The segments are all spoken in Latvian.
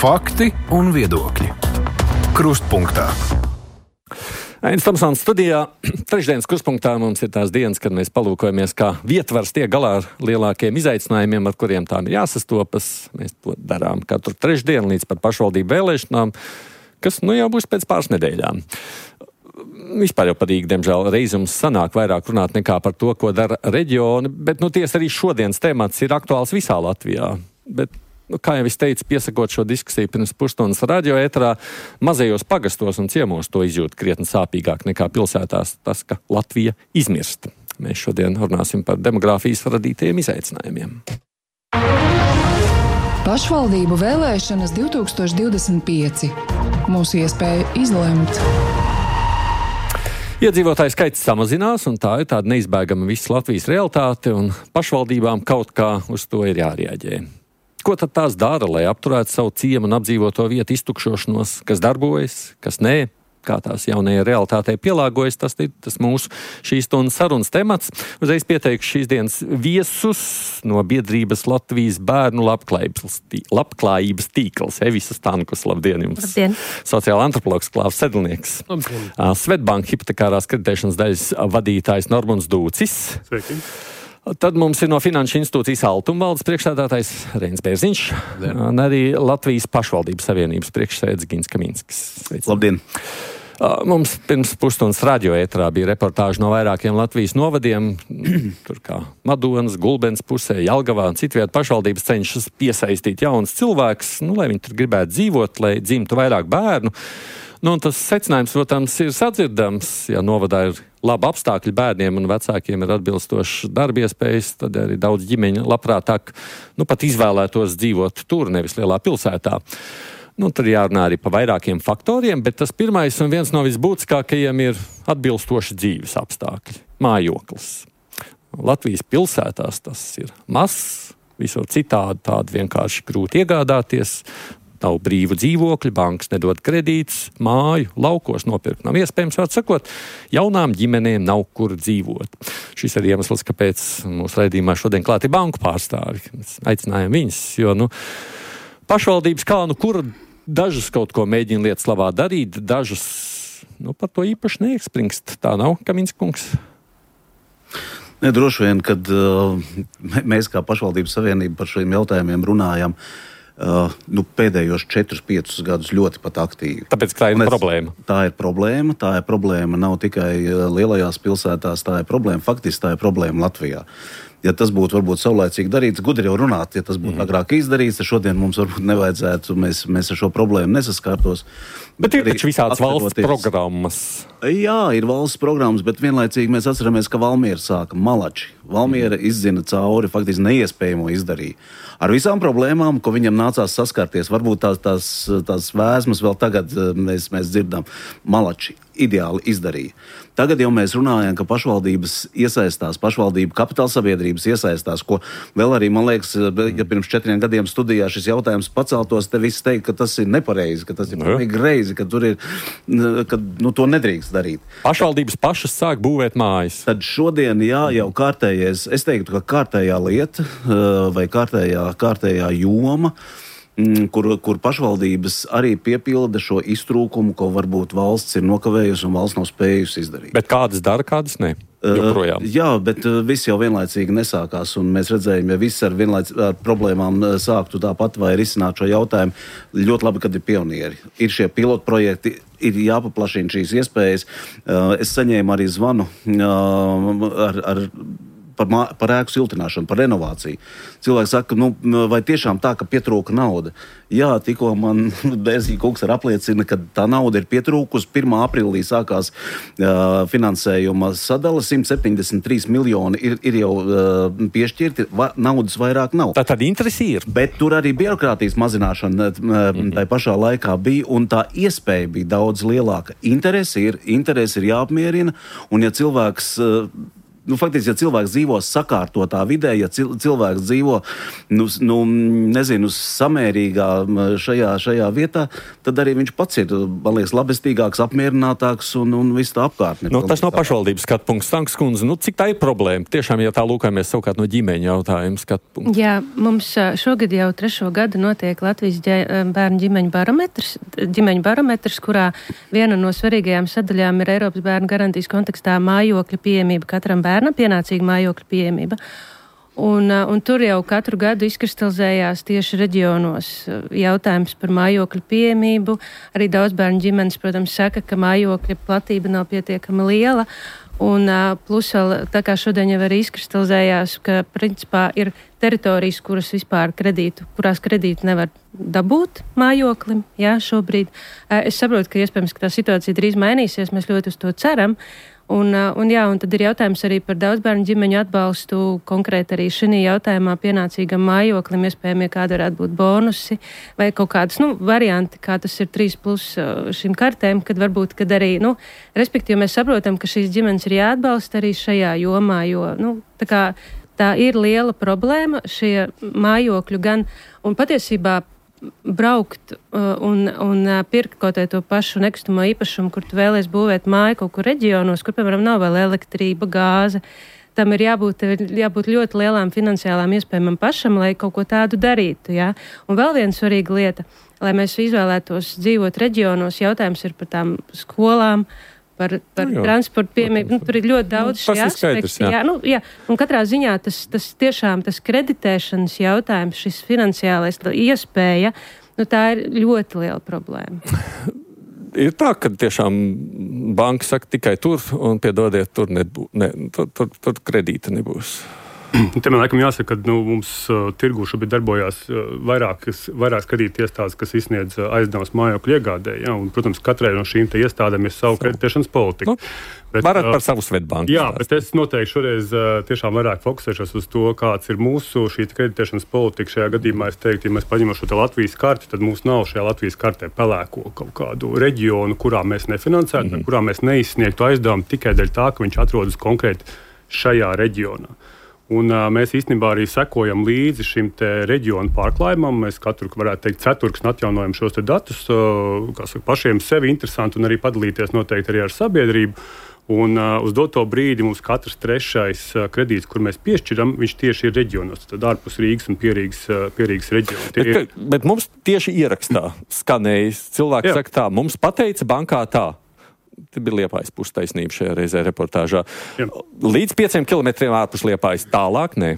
Fakti un viedokļi. Krustpunktā. Ainis Tomsons studijā. Trešdienas krustpunktā mums ir tās dienas, kad mēs palūkojamies, kā vietvars tiek galā ar lielākiem izaicinājumiem, ar kuriem tām ir jāsastopas. Mēs to darām katru trešdienu līdz pat pašvaldību vēlēšanām, kas jau būs pēc pāris nedēļām. Vispār jau patīk, diemžēl, reiz mums sanāk vairāk runāt nekā par to, ko dara reģioni, bet tiesa arī šodienas temats ir aktuāls visā Latvijā. Bet, kā jau es teicu, piesakot šo diskusiju pirms pusstundas radio ēterā, mazajos pagastos un ciemos to izjūt krietni sāpīgāk nekā pilsētās tas, ka Latvija izmirst. Mēs šodien runāsim par demogrāfijas radītajiem izaicinājumiem. Pašvaldību vēlēšanas 2025. Mūsu iespēja izlemt. Iedzīvotāju skaits samazinās, un tā ir tāda neizbēgama visas Latvijas realitāte, un pašvaldībām kaut kā uz to ir jārēģē. Ko tad tās dara, lai apturētu savu ciemu un apdzīvoto vietu iztukšošanos, kas darbojas, kas nē? Kā tās jaunajai realitātei pielāgojas, tas ir mūsu šīs stundas sarunas temats. Uzreiz pieteikšu šīs dienas viesus no biedrības Latvijas bērnu labklājības tīkls. Evisa Stankus, labdien jums. Labdien. Sociāla antropologs Klāvs Sedlnieks. Labdien. Svetbank hipotekārās kreditēšanas daļas vadītājs Normunds Dūcis. Sveiki. Tad mums ir no Finanšu institūcijas Altumvaldes priekšsēdētājs Reinis Bērziņš un arī Latvijas pašvaldības savienības priekšsēdētājs Gins Kaminskis. Labdien! Mums pirms pusstundas radio ēterā bija reportāži no vairākiem Latvijas novadiem, tur kā Madonas, Gulbens pusē, Jelgavā un citviet pašvaldības cenšas piesaistīt jaunus cilvēkus, lai viņi tur gribētu dzīvot, lai dzimtu vairāk bērnu. Un tas secinājums, protams, ir sadzirdams. Ja novadā ir labi apstākļi bērniem un vecākiem ir atbilstošas darba iespējas, tad arī daudz ģimeņu labprātāk pat izvēlētos dzīvot tur, nevis lielā pilsētā. Tad jārunā arī par vairākiem faktoriem, bet tas pirmais un viens no visbūtiskākajiem ir atbilstoši dzīves apstākļi. Mājoklis. Latvijas pilsētās tas ir mazs, visur citādi vienkārši grūti iegādāties. Nav brīvu dzīvokļu, bankas nedod kredītus, māju, laukos nopirkt nav iespējams, var sakot, jaunām ģimenēm nav kur dzīvot. Šis ir iemesls, kāpēc mūsu raidījumā šodien klāt ir banku pārstāvi. Mēs aicinājām viņus, jo, pašvaldības kur dažas kaut ko mēģina lietas labā darīt, dažas, par to īpaši neekspringst. Tā nav, Kaminska kungs? Ne, droši vien, kad mēs kā pašvaldības savienība par šiem jautājumiem runājam, pēdējos 4-5 gadus ļoti pat aktīvi. Tāpēc tā ir problēma. Tā ir problēma nav tikai lielajās pilsētās, tā ir problēma, faktiski tā ir problēma Latvijā. Ja tas būtu varbūt saulēcīgi darīts, gudri jau runāt, ja tas būtu agrāk izdarīts, tad šodien mums varbūt nevajadzētu, mēs ar šo problēmu nesaskārtos. Bet ir taču visādas valsts programmas. Jā, ir valsts programmas, bet vienlaicīgi mēs atceramies, ka Valmiera sāka Malači. Valmiera izzina cauri, faktiski neiespējamo izdarīja. Ar visām problēmām, ko viņam nācās saskarties, varbūt tās vēsmas vēl tagad mēs dzirdam, Malači ideāli izdarīja. Tagad jau mēs runājam, ka pašvaldības iesaistās, pašvaldību kapitāla sabiedrības iesaistās, ko vēl arī, man liekas, ja pirms 4 gadiem studijā šis jautājums paceltos, te viss teikt, ka tas ir nepareizi, ka tas ir pilnīgi greizi, ka tur ir, to nedrīkst darīt. Pašvaldības pašas sāk būvēt mājas. Tad šodien, jau kārtējais, es teiktu, ka kārtējā lieta vai kārtējā joma, kur pašvaldības arī piepilda šo iztrūkumu, ko varbūt valsts ir nokavējusi un valsts nav spējusi izdarīt. Bet kādas dara, kādas ne? Joprojām. Jā, bet viss jau vienlaicīgi nesākās, un mēs redzējām, ja viss ar problēmām sāktu tāpat vai risināt šo jautājumu, ļoti labi, kad ir pionieri. Ir šie pilotprojekti, ir jāpaplašina šīs iespējas. Es saņēmu arī zvanu par ēku siltināšanu, par renovāciju. Cilvēki saka, vai tiešām tā, ka pietrūka nauda? Jā, tikko man Bērziņa kungs apliecina, ka tā nauda ir pietrūkusi. 1. aprīlī sākās finansējuma sadala, 173 miljoni ir jau piešķirti, naudas vairāk nav. Tad interesi ir. Bet tur arī birokrātijas mazināšana tai pašā laikā bija, un tā iespēja bija daudz lielāka. Interesi ir jāapmierina, un ja cilvēks faktiski, ja cilvēks dzīvo sakārtotā vidē, ja cilvēks dzīvo, samērīgā šajā vietā, tad arī viņš pats ir, man liekas, labestīgāks, apmierinātāks un viss tā apkārtne. Tas nav pašvaldības skatpunkts, Stankas kundze. Cik tā ir problēma? Tiešām, ja tā lūkamies savukārt no ģimeņa jautājuma skatpunkta. Jā, mums šogad jau 3. gadu notiek Latvijas bērnu ģimeņu barometrs, kurā viena no svarīgajām sadaļām ir Eiropas bērnu garantijas kontekstā mājokļa pieejamība katram bērnam, pienācīga mājokļa pieejamība. Un tur jau katru gadu izkristalizējās tieši reģionos jautājums par mājokļu pieejamību. Arī daudz bērnu ģimenes, protams, saka, ka mājokļa platība nav pietiekami liela. Un plus vēl, tā kā šodien jau arī izkristalizējās, ka principā ir teritorijas, kurās kredītu nevar dabūt mājoklim, šobrīd. Es saprotu, ka iespējams, ka tā situācija drīz mainīsies, mēs ļoti uz to ceram. Un tad ir jautājums arī par daudzbērnu ģimeņu atbalstu, konkrēti arī šī jautājumā pienācīgam mājoklim, iespējami, kāda varētu būt bonusi vai kaut kādas, varianti, kā tas ir 3+ šīm kartēm, kad varbūt, kad arī, respektīvi mēs saprotam, ka šīs ģimenes ir jāatbalsta arī šajā jomā, jo, tā ir liela problēma, šie mājokļu gan, un patiesībā braukt un pirkt kaut to pašu nekustamo īpašumu, kur tu vēlies būvēt māju kaut kur reģionos, kur, piemēram, nav vēl elektrība, gāze. Tam ir jābūt ļoti lielām finansiālām iespējām pašam, lai kaut ko tādu darītu. Ja? Un vēl viena svarīga lieta, lai mēs izvēlētos dzīvot reģionos, jautājums ir par tām skolām, par transportu piemību. Tur ir ļoti daudz šī aspekti. Un katrā ziņā tas kreditēšanas jautājums, šis finansiālais iespēja, tā ir ļoti liela problēma. Ir tā, ka tiešām banka saka tikai tur, un piedodiet, tur kredīta nebūs. Te man laikam jāsaka, ka mums tirgū šobrīd darbojās vairākas kredīta iestādes, kas izsniedz aizdevumus mājokļu iegādē. Ja? Un, protams, katrai no šīm iestādēm ir savu kreditēšanas politiku. Varat par savu Svetbanku. Jā, bet es noteikti šoreiz tiešām vairāk fokusēšos uz to, kāds ir mūsu šī kreditēšanas politika. Šajā gadījumā es teiktu, ja mēs paņemam šo Latvijas karti, tad mums nav šajā Latvijas kartē pelēko kaut kādu reģionu, kurā mēs nefinansētu, kurā mēs neizsniegtu aizdevumu tikai dēļ tā, ka viņš atrodas konkrēti šajā reģionā. Un mēs īstenībā arī sekojam līdzi šim reģionu pārklājumam. Mēs katru, varētu teikt, ceturksni atjaunojam šos datus, pašiem sevi interesanti un arī padalīties noteikti arī ar sabiedrību. Un uz doto brīdi mums katrs 3. kredīts, kur mēs piešķiram, viņš tieši ir reģionos, tad ārpus Rīgas un Pierīgas reģiona. Bet mums tieši ierakstā skanējis. Cilvēki saka tā, mums pateica bankā tā. Te bija Liepājas pustaisnība šajā reizē reportāžā. Jā. Līdz 5 kilometriem ārpus Liepājas, tālāk ne.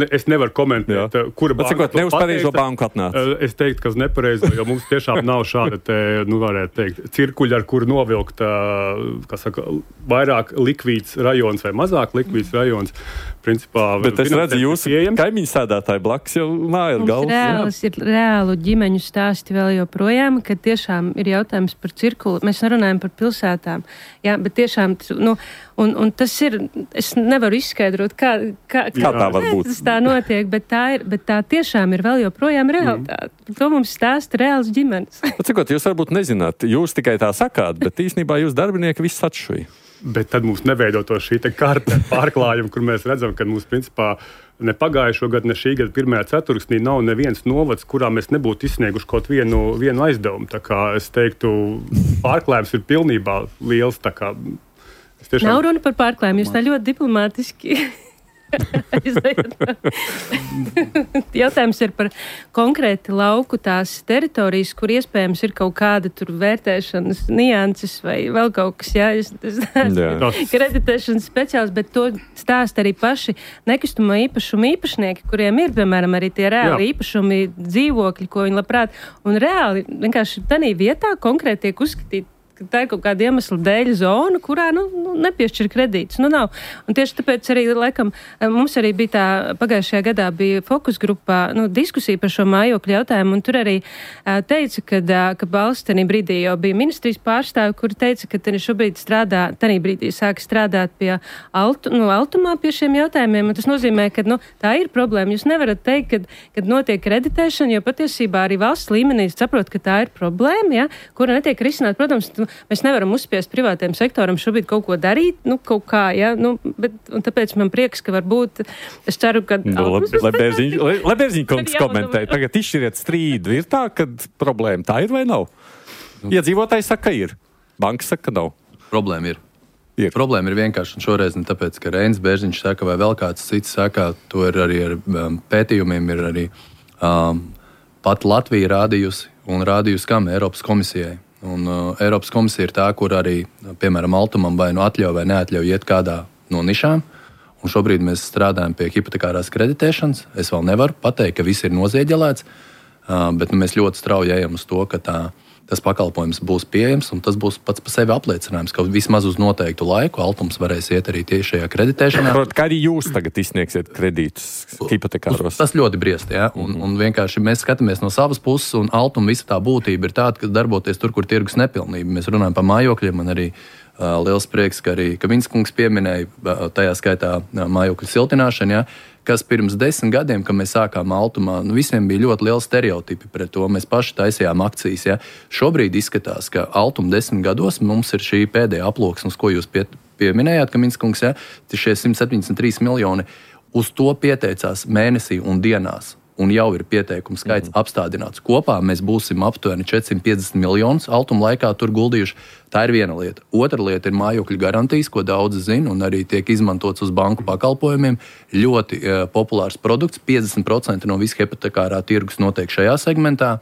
Es nevaru komentēt, kura banka to ne uz pareizo banku atnāca. Es teiktu, ka uz nepareizo, jo mums tiešām nav šāda varētu teikt, cirkuļa, ar kuru novilkt, vairāk likvīds rajons vai mazāk likvīds rajons. Principā, bet es redzu, jūsu kaimiņu sēdētāji blakus jau māja ar galvu. Ir reālu ģimeņu stāsti vēl joprojām, kad tiešām ir jautājums par cirkulu. Mēs nerunājam par pilsētām. Jā, bet tiešām, un tas ir, es nevaru izskaidrot, kā tā var būt. Tas tā notiek, bet tā tiešām ir vēl joprojām realitāte. To mums stāsta reāls ģimenes. Cikot, jūs varbūt nezināt, jūs tikai tā sakāt, bet īstenībā jūs darbinieki viss atšuja. Bet tad mums neveido to šī karte pārklājuma, kur mēs redzam, ka mums principā ne pagājušo gadu, ne šī gada 1. ceturksnī nav neviens novads, kurā mēs nebūtu izsnieguši kaut vienu aizdevumu. Tā kā es teiktu, pārklājums ir pilnībā liels. Nav runa par pārklājumu, jūs tā ļoti diplomātiski jautājums ir par konkrēti lauku tās teritorijas, kur iespējams ir kaut kāda tur vērtēšanas nianses vai vēl kaut kas, kreditēšanas speciāls, bet to stāst arī paši nekustamo īpašumu īpašnieki, kuriem ir, piemēram, arī tie reāli īpašumi dzīvokļi, ko viņi labprāt, un reāli vienkārši tādā vietā konkrēti tiek uzskatīti, ka tā ir kaut kāda iemesla dēļ zona, kurā nepiešķir kredītus. Nav. Un tieši tāpēc arī, laikam, mums arī bija tā, pagājušajā gadā bija fokus grupā diskusija par šo mājokļu jautājumu, un tur arī teica, ka valsts tenī brīdī jau bija ministrijas pārstāvi, kuri teica, ka tenī šobrīd tenī brīdī sāk strādāt pie Altumā pie šiem jautājumiem, un tas nozīmē, ka tā ir problēma. Jūs nevarat teikt, kad notiek kreditēšana, jo patiesībā arī valsts līmenī saprot, ka tā ir problēma, kura netiek risināt. Protams, mēs nevaram uzspiest privātajam sektoram šobrīd kaut ko darīt. darīt, kaut kā, ja, un tāpēc man prieks, ka varbūt, es ceru, ka... Lai Bērziņkungs komentē, tagad izšķiriet strīdu, ir tā, ka problēma tā ir vai nav? Iedzīvotāji saka, ka ir, banka saka, ka nav. Problēma ir. Problēma ir vienkārši, un šoreiz ne tāpēc, ka Reinis Bērziņš saka, vai vēl kāds cits saka, to ir arī ar pētījumiem, ir arī pat Latvija rādījusi kam Eiropas komisijai. Un Eiropas komisija ir tā, kur arī, piemēram, Altumam vai atļauj vai neatļauj iet kādā no nišām. Un šobrīd mēs strādājam pie hipotekārās kreditēšanas. Es vēl nevaru pateikt, ka viss ir nozieģelēts, bet mēs ļoti strauji ejam uz to, ka tas pakalpojums būs pieejams, un tas būs pats par sevi apliecinājums, ka vismaz uz noteiktu laiku Altums varēs iet arī tieši šajā kreditēšanā. Kā arī jūs tagad izsniegsiet kredītus hipotekāros? Tas ļoti briest, jā, un vienkārši mēs skatāmies no savas puses, un Altuma visa tā būtība ir tāda, ka darboties tur, kur tirgus nepilnība. Mēs runājam par mājokļiem, man arī liels prieks, ka Vinskungs pieminēja tajā skaitā mājokļu siltināšanu, jā, kas pirms 10 gadiem, kad mēs sākām Altumā, visiem bija ļoti liela stereotipi pret to. Mēs paši taisījām akcijas. Ja. Šobrīd izskatās, ka Altuma 10 gados mums ir šī pēdējā aploksne, uz ko jūs pieminējāt, ka Minskungs, ja, šie 173 miljoni, uz to pieteicās mēnesī un dienās. Un jau ir pieteikumu skaits apstādināts. Kopā mēs būsim aptuveni 450 miljonus Altuma laikā tur guldījuši. Tā ir viena lieta. Otra lieta ir mājokļu garantijas, ko daudzi zina un arī tiek izmantots uz banku pakalpojumiem. Ļoti populārs produkts. 50% no visa hipotekārā tirgus notiek šajā segmentā.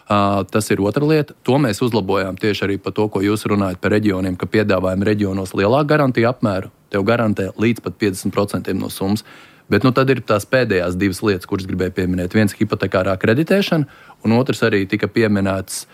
Tas ir otra lieta. To mēs uzlabojām tieši arī par to, ko jūs runājat par reģioniem, ka piedāvājam reģionos lielāku garantiju apmēru. Tev garantē līdz pat 50% no summas. Bet tad ir tās pēdējās divas lietas, kuras gribēju pieminēt. Viens ir hipotekārā kreditēšana, un otrs arī tika pieminēts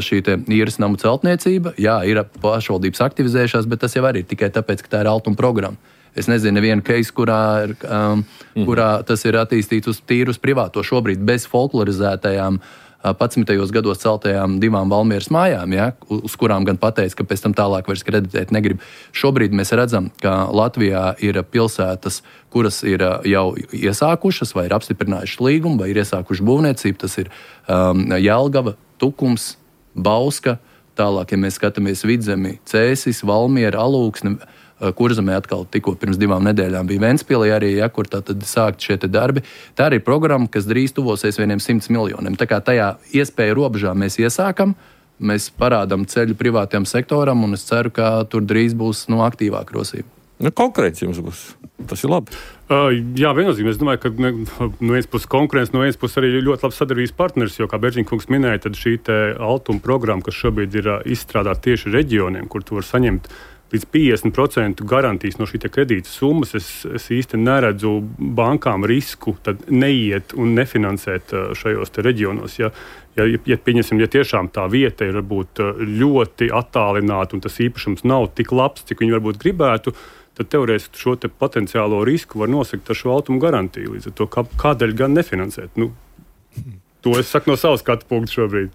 šī īres namu celtniecība. Jā, ir pašvaldības aktivizējušās, bet tas jau arī ir tikai tāpēc, ka tā ir Altuma programma. Es nezinu nevienu case, kurā tas ir attīstīts tīri uz privāto šobrīd bez folklorizētajām 11. gados celtajām 2 Valmieras mājām, ja, uz kurām gan pateica, ka pēc tam tālāk vairs kreditēt negrib. Šobrīd mēs redzam, ka Latvijā ir pilsētas, kuras ir jau iesākušas vai ir apstiprinājušas līgumu, vai ir iesākušas būvniecību. Tas ir Jelgava, Tukums, Bauska, tālāk, ja mēs skatāmies Vidzemi, Cēsis, Valmiera, Alūksne, Kurzemē atkal tikko pirms 2 nedēļām bija Ventspilī arī, ja, kur tātad sākt šie darbi. Tā ir programma, kas drīz tuvosies 100 miljoniem. Tā kā tajā iespēja robežā mēs iesākam, mēs parādām ceļu privātajam sektoram, un es ceru, ka tur drīz būs aktīvāka rosība. Konkurence jums būs. Tas ir labi. Jā, viennozīmīgi. Es domāju, ka no vienas puses konkurence, no vienas puses arī ļoti labs sadarbības partners, jo, kā Bērziņkungs minēja, tad šī Altuma programma, kas šobrīd ir izstrādāta tieši reģioniem, kur tu var saņemt līdz 50% garantijas no šī kredīta summas, es īsti neredzu bankām risku tad neiet un nefinansēt šajos reģionos. Ja tiešām tā vieta ir varbūt ļoti attālināta un tas īpašums nav tik labs, cik viņi varbūt gribētu, tad teorētiski šo potenciālo risku var nosakt ar šo Altuma garantiju. Līdz ar to, kādēļ gan nefinansēt? To es saku no savas skatu punkta šobrīd.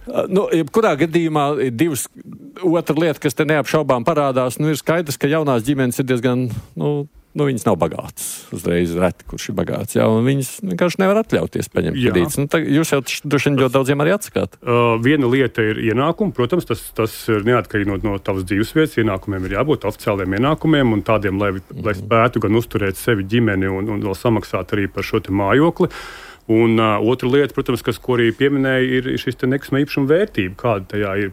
Kurā gadījumā ir otra lieta, kas te neapšaubām parādās, ir skaidrs, ka jaunās ģimenes ir diezgan, viņas nav bagātas. Uzreiz reti, kurš ir bagāts, jā, un viņas vienkārši nevar atļauties paņemt kredītus. Jūs jau droši vien ļoti daudziem arī atsakāt. Viena lieta ir ienākumi. Protams, tas ir neatkarīgi no tavas dzīvesvietas. Ienākumiem ir jābūt oficiāliem ienākumiem un tādiem, lai spētu gan uzturēt sevi ģimeni un vēl samaksāt arī par šo mājokli. Un otra lieta, protams, ko arī pieminēja, ir šis nekustamā īpašuma vērtība. Kāda tajā ir?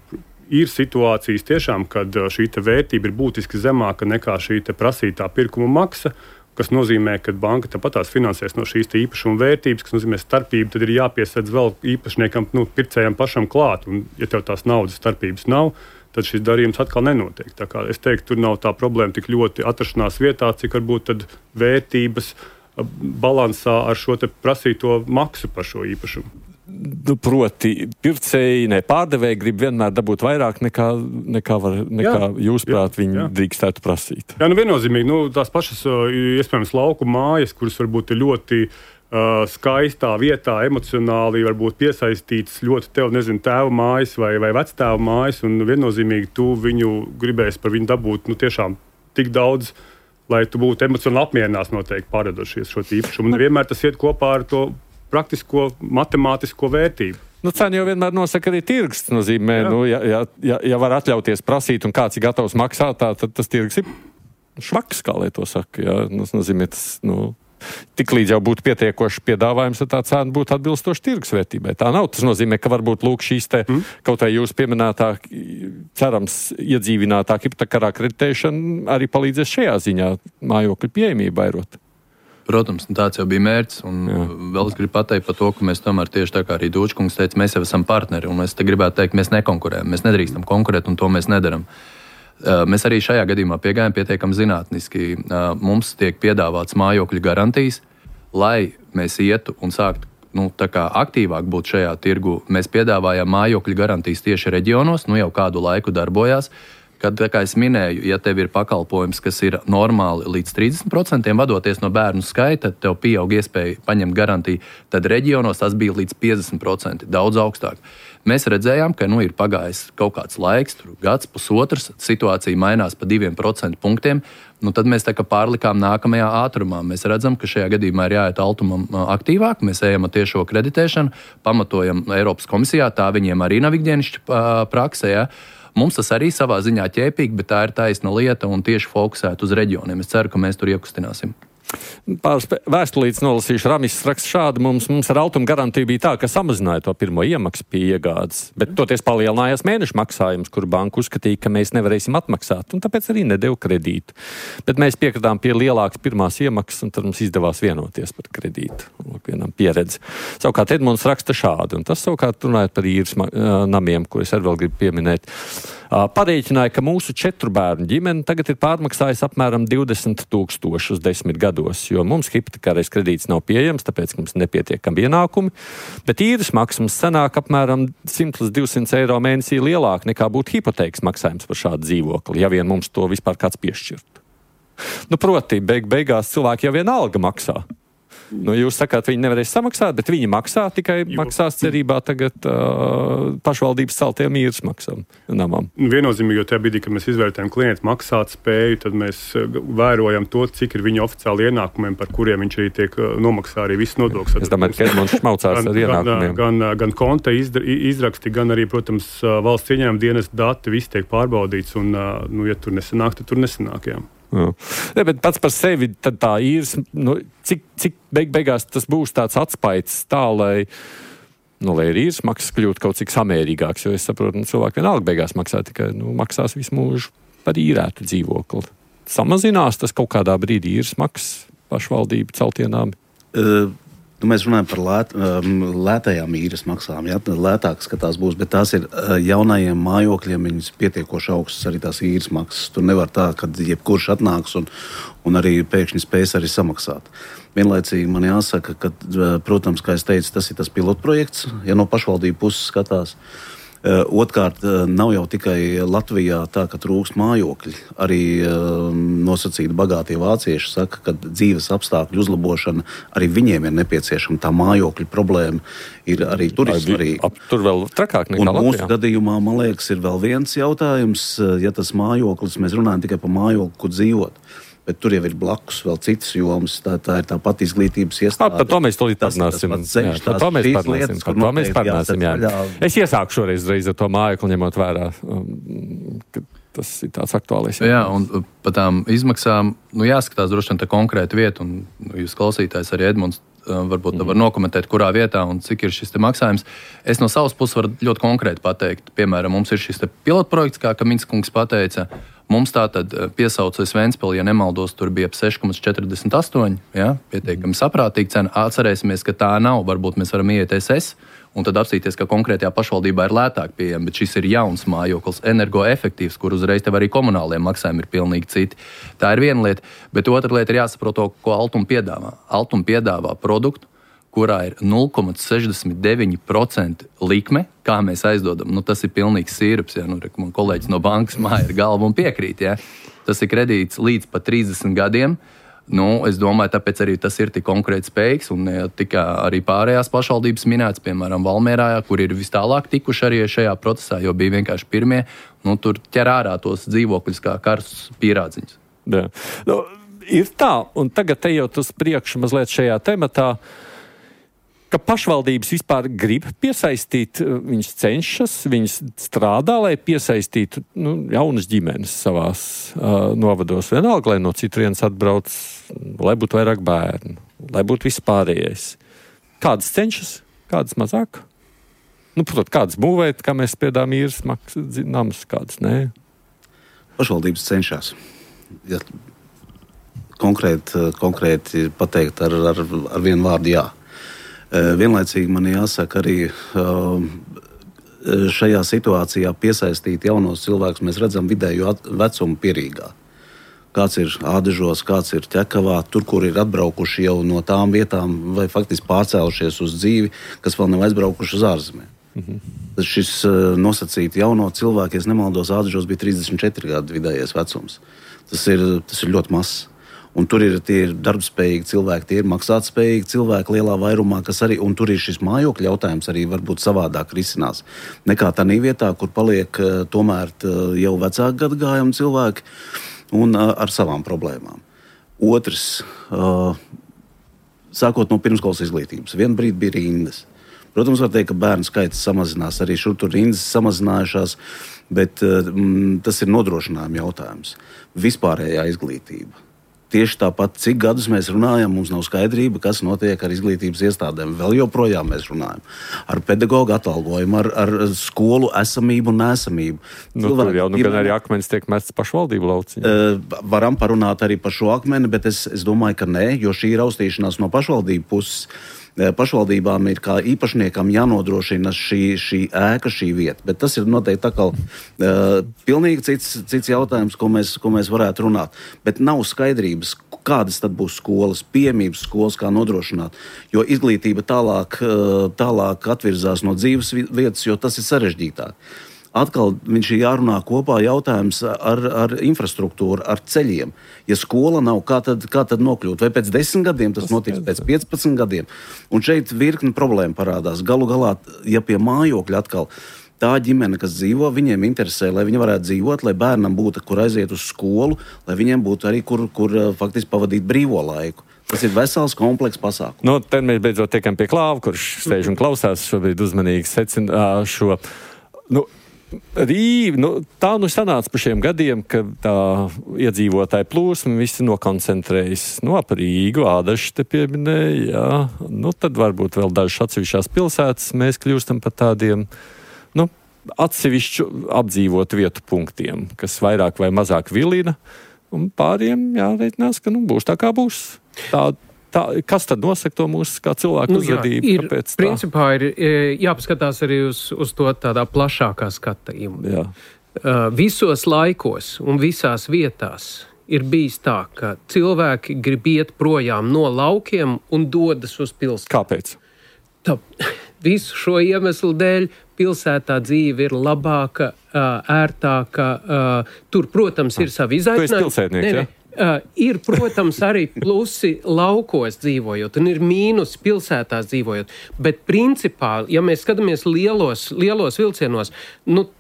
Ir situācijas tiešām, kad šī vērtība ir būtiski zemāka nekā šī prasītā pirkuma maksa, kas nozīmē, ka banka tāpatās finansēs no šīs īpašuma vērtības, kas nozīmē starpību, tad ir jāpiesedz vēl īpašniekam, pircējam pašam klāt. Un, ja tev tās naudas starpības nav, tad šis darījums atkal nenotiek. Tā kā es teiktu, tur nav tā problēma tik ļoti atrašanās vietā, cik varbūt tad vērtības balansā ar šo prasīto maksu par šo īpašumu. Proti, pircēji, pārdevēji grib vienmēr dabūt vairāk nekā jūs prāt viņi drīkstētu prasīt. Jā, viennozīmīgi. Tās pašas, iespējams, lauku mājas, kuras varbūt ir ļoti skaistā vietā, emocionāli varbūt piesaistītas ļoti tēva mājas vai vectēva mājas, un viennozīmīgi tu viņu gribēsi par viņu dabūt tiešām tik daudz, lai tu būtu emocionāli apmierināts noteikti pārdodošies šo īpašumu. Un vienmēr tas iet kopā ar to praktisko, matemātisko vērtību. Cena jau vienmēr nosaka arī tirgus. Nozīmē, ja var atļauties prasīt un kāds ir gatavs maksāt, tad tas tirgus ir švaks, kā lai to saka. Jā. Tas nozīmē, tik līdz jau būtu pietiekoši piedāvājums, tad tā cena būtu atbilstoši tirgus vērtībai. Tā nav. Tas nozīmē, ka varbūt lūk šīs kaut vai jūs pieminētā, cerams, iedzīvinātā hipotekārā kreditēšana arī palīdzēs šajā ziņā mājokļu pieejamību vairot. Protams, tāds jau bija mērķis, un vēl es gribu pateikt par to, ka mēs tomēr tieši tā kā arī Dūčkungs teica, mēs jau esam partneri, un es te gribētu teikt, mēs nekonkurējam, mēs nedrīkstam konkurēt, un to mēs nedaram. Mēs arī šajā gadījumā piegājām pietiekami zinātniski. Mums tiek piedāvāts mājokļu garantijas, lai mēs ietu un sāktu tā kā aktīvāk būt šajā tirgu. Mēs piedāvājām mājokļu garantijas tieši reģionos, jau kādu laiku darbojās. Kad, kā es minēju, ja tev ir pakalpojums, kas ir normāli līdz 30%, vadoties no bērnu skaita, tev pieaug iespēja paņemt garantiju, tad reģionos tas bija līdz 50%, daudz augstāk. Mēs redzējām, ka ir pagājis kaut kāds laiks, gads, pusotrs, situācija mainās pa 2% punktiem, tad mēs tā kā pārlikām nākamajā ātrumā. Mēs redzam, ka šajā gadījumā ir jāiet Altumam aktīvāk, mēs ejam ar tiešo kreditēšanu, pamatojam Eiropas komisijā, tā viņiem arī nav ikdienišķa praksē, ja. Mums tas arī savā ziņā ķēpīgi, bet tā ir taisna lieta un tieši fokusēt uz reģioniem. Es ceru, ka mēs tur iekustināsim. Pāris vēstulītes nolasīšu. Ramis raksta šādi. Mums ar Altuma garantiju bija tā, ka samazināja to pirmo iemaksu pie iegādes, bet toties palielinājās mēnešu maksājums, kur banka uzskatīja, ka mēs nevarēsim atmaksāt, un tāpēc arī nedeva kredītu. Bet mēs piekritām pie lielākas pirmās iemaksas, un tad mums izdevās vienoties par kredītu. Vienam pieredzi. Savukārt Edmunds raksta šādi, un tas savukārt runājot par īres namiem, ko es arī vēl gribu pieminēt. Parēķināja, ka mūsu 4 bērnu ģimene tagad ir pārmaksājusi apmēram 20,000 10 gados, jo mums hipotekārais kredīts nav pieejams, tāpēc mums nepietiekami ienākumi, bet īres maksas sanāk apmēram 100 līdz 200 eiro mēnesī lielāk nekā būtu hipotēkas maksājums par šādu dzīvokli, ja vien mums to vispār kāds piešķirtu. Proti, beigās cilvēki jau vienalga maksā. Jūs sakāt, viņi nevarēs samaksāt, bet viņi maksā, tikai maksās cerībā tagad pašvaldības celtiem īres maksām namam. Viennozīmīgi, jo tajā brīdī, kad mēs izvērtējam klientu maksāt spēju, tad mēs vērojam to, cik ir viņa oficiāli ienākumiem, par kuriem viņš arī tiek nomaksā arī viss nodoklis. Es domāju, ka Edmunds šmaucās ar ienākumiem. Gan konta izraksti, gan arī, protams, valsts ieņēmuma dienas dati, viss tiek pārbaudīts, un, ja tur nesanāk, tad tur nesanāk, jā. Ne, bet pats par sevi tad tā īres, cik beigās tas būs tāds atspaids tā, lai ir īres maksas kļūt kaut cik samērīgāks, jo es saprotu, cilvēki vienalga beigās maksā tikai, maksās visu mūžu par īrētu dzīvokli. Samazinās tas kaut kādā brīdī īres maksas pašvaldību celtienām? Mēs runājam par lētajām īres maksām, ja? Lētākas, ka tās būs, bet tās ir jaunajiem mājokļiem, viņas pietiekoši augstas arī tās īres maksas. Tur nevar tā, ka jebkurš atnāks un arī pēkšņi spēs arī samaksāt. Vienlaicīgi man jāsaka, ka, protams, kā es teicu, tas ir tas pilotprojekts, ja no pašvaldību puses skatās. Otkārt, nav jau tikai Latvijā tā, ka trūkst mājokļi. Arī nosacīti bagātie vācieši saka, ka dzīves apstākļu uzlabošana arī viņiem ir nepieciešama. Tā mājokļu problēma ir arī turisma. Tur vēl trakāk nekā Latvijā. Un mūsu gadījumā, man liekas, ir vēl viens jautājums. Ja tas mājoklis, mēs runājam tikai par mājokli, kur dzīvot. Bet tur jau ir blakus vēl citas jomas. Tā ir tā pati izglītības iestāde. Par to mēs tūlīt parunāsim. Es iesāku šoreiz ar to mājokli, ņemot vērā, ka tas ir tāds aktuālais. Jā, un par tām izmaksām, jāskatās droši vien tā konkrēta vieta, un jūs klausītājs arī Edmunds varbūt var nokomentēt, kurā vietā un cik ir šis te maksājums. Es no savas puses varu ļoti konkrēti pateikt. Piemēram, mums ir šis te pilotprojekts, kā Minskungs pateica. Mums tātad piesaucas Ventspili, ja nemaldos, tur bija ap 6,48, ja, pietiekami saprātīga cena. Atcerēsimies, ka tā nav, varbūt mēs varam iet SS un tad apstīties, ka konkrētajā pašvaldībā ir lētāk pieejama, bet šis ir jauns mājoklis, energoefektīvs, kur uzreiz tev arī komunālie maksājumi ir pilnīgi citi. Tā ir viena lieta, bet otra lieta ir jāsaprot to, ko Altuma piedāvā. Altuma piedāvā produktu, kurā ir 0,69% likme, kā mēs aizdodam. Tas ir pilnīgs sīrups. Ja? Man kolēģis no bankas māja ir galva un piekrīt. Ja? Tas ir kredīts līdz pat 30 gadiem. Es domāju, tāpēc arī tas ir tik konkrēti spējīgs. Un tika arī pārējās pašvaldības minēts, piemēram, Valmierā, kur ir vis tālāk tikuši arī šajā procesā, jo bija vienkārši pirmie. Tur ķer ārā tos dzīvokļus kā karstus pierādziņus. Ir tā, un tagad ejot uz priekšu mazliet šajā tematā, ka pašvaldības vispār grib piesaistīt, viņas cenšas, viņas strādā, lai piesaistītu jaunas ģimenes savās novados. Vienalga, lai no citurienes atbrauc, lai būtu vairāk bērnu, lai būtu vispārējais. Kādas cenšas, kādas mazāk? Protams, kādas būvēt, kā mēs spiedām īres namus, kādas nē. Pašvaldības cenšas. Ja konkrēti pateikt ar vienu vārdu jā. Vienlaicīgi man jāsaka arī šajā situācijā piesaistīt jaunos cilvēkus. Mēs redzam vidējo vecumu Pierīgā. Kāds ir Ādežos, kāds ir Ķekavā, tur, kur ir atbraukuši jau no tām vietām vai faktiski pārcēlušies uz dzīvi, kas vēl nav aizbraukuši uz ārzemēm. Tad šis nosacīti jauno cilvēku, ja nemaldos, Ādežos bija 34 gadu vidējais vecums. Tas ir ļoti mazs. Un tur ir tie darbspējīgi cilvēki, tie ir maksātspējīgi cilvēki lielā vairumā, kas arī, un tur ir šis mājokļa jautājums arī varbūt savādāk risinās. Nekā tādā vietā, kur paliek tomēr jau vecāku gadagājumu cilvēki un ar savām problēmām. Otrs, sākot no pirmskolas izglītības, vienu brīdi bija rindas. Protams, var teikt, ka bērnu skaits samazinās, arī šur tur rindas samazinājušās, bet tas ir nodrošinājuma jautājums. Vispārējā izglītība. Tieši tāpat, cik gadus mēs runājam, mums nav skaidrība, kas notiek ar izglītības iestādēm. Vēl joprojām mēs runājam ar pedagoģu atalgojumu, ar skolu esamību un neesamību. Tur jau gan arī akmenis tiek mests pašvaldību lauciņā. Varam parunāt arī par šo akmeni, bet es domāju, ka nē, jo šī ir raustīšanās no pašvaldību puses. Pašvaldībām ir kā īpašniekam jānodrošina šī ēka, šī vieta. Bet tas ir noteikti tā kā pilnīgi cits jautājums, ko mēs varētu runāt. Bet nav skaidrības, kādas tad būs skolas, pieejamības skolas, kā nodrošināt. Jo izglītība tālāk atvirzās no dzīves vietas, jo tas ir sarežģītāk. Atkal viņš ir jārunā kopā jautājums ar infrastruktūru, ar ceļiem. Ja skola nav, kā tad nokļūt? Vai pēc 10 gadiem tas notiks, pēc 15 gadiem? Un šeit virkni problēma parādās. Galu galā, ja pie mājokļa atkal tā ģimene, kas dzīvo, viņiem interesē, lai viņi varētu dzīvot, lai bērnam būtu, kur aiziet uz skolu, lai viņiem būtu arī, kur faktiski pavadīt brīvo laiku. Tas ir vesels, komplekss pasākums. Te mēs beidzot tiekam pie Klāva, kurš sēž un klausās šobrīd uzmanīgi secina šo... Tā sanāca par šiem gadiem, ka tā iedzīvotāja plūsma visi nokoncentrējas ap Rīgu, Ādašu te pieminēja, jā. Tad varbūt vēl dažas atsevišķās pilsētas mēs kļūstam par tādiem, atsevišķu apdzīvotu vietu punktiem, kas vairāk vai mazāk vilina, un pāriem jāreitinās, ka būs tā kā būs. Kas tad nosaka to mūsu kā cilvēku uzvedību? Principā ir jāpaskatās arī uz to tādā plašākā skatījumā. Visos laikos un visās vietās ir bijis tā, ka cilvēki grib iet projām no laukiem un dodas uz pilsētu. Kāpēc? Visu šo iemeslu dēļ pilsētā dzīve ir labāka, ērtāka. Tur, protams, ir savi izaicinājumi. Tu esi pilsētnieks, ja? Ir, protams, arī plusi laukos dzīvojot, un ir mīnusi pilsētās dzīvojot. Bet principā, ja mēs skatāmies lielos vilcienos,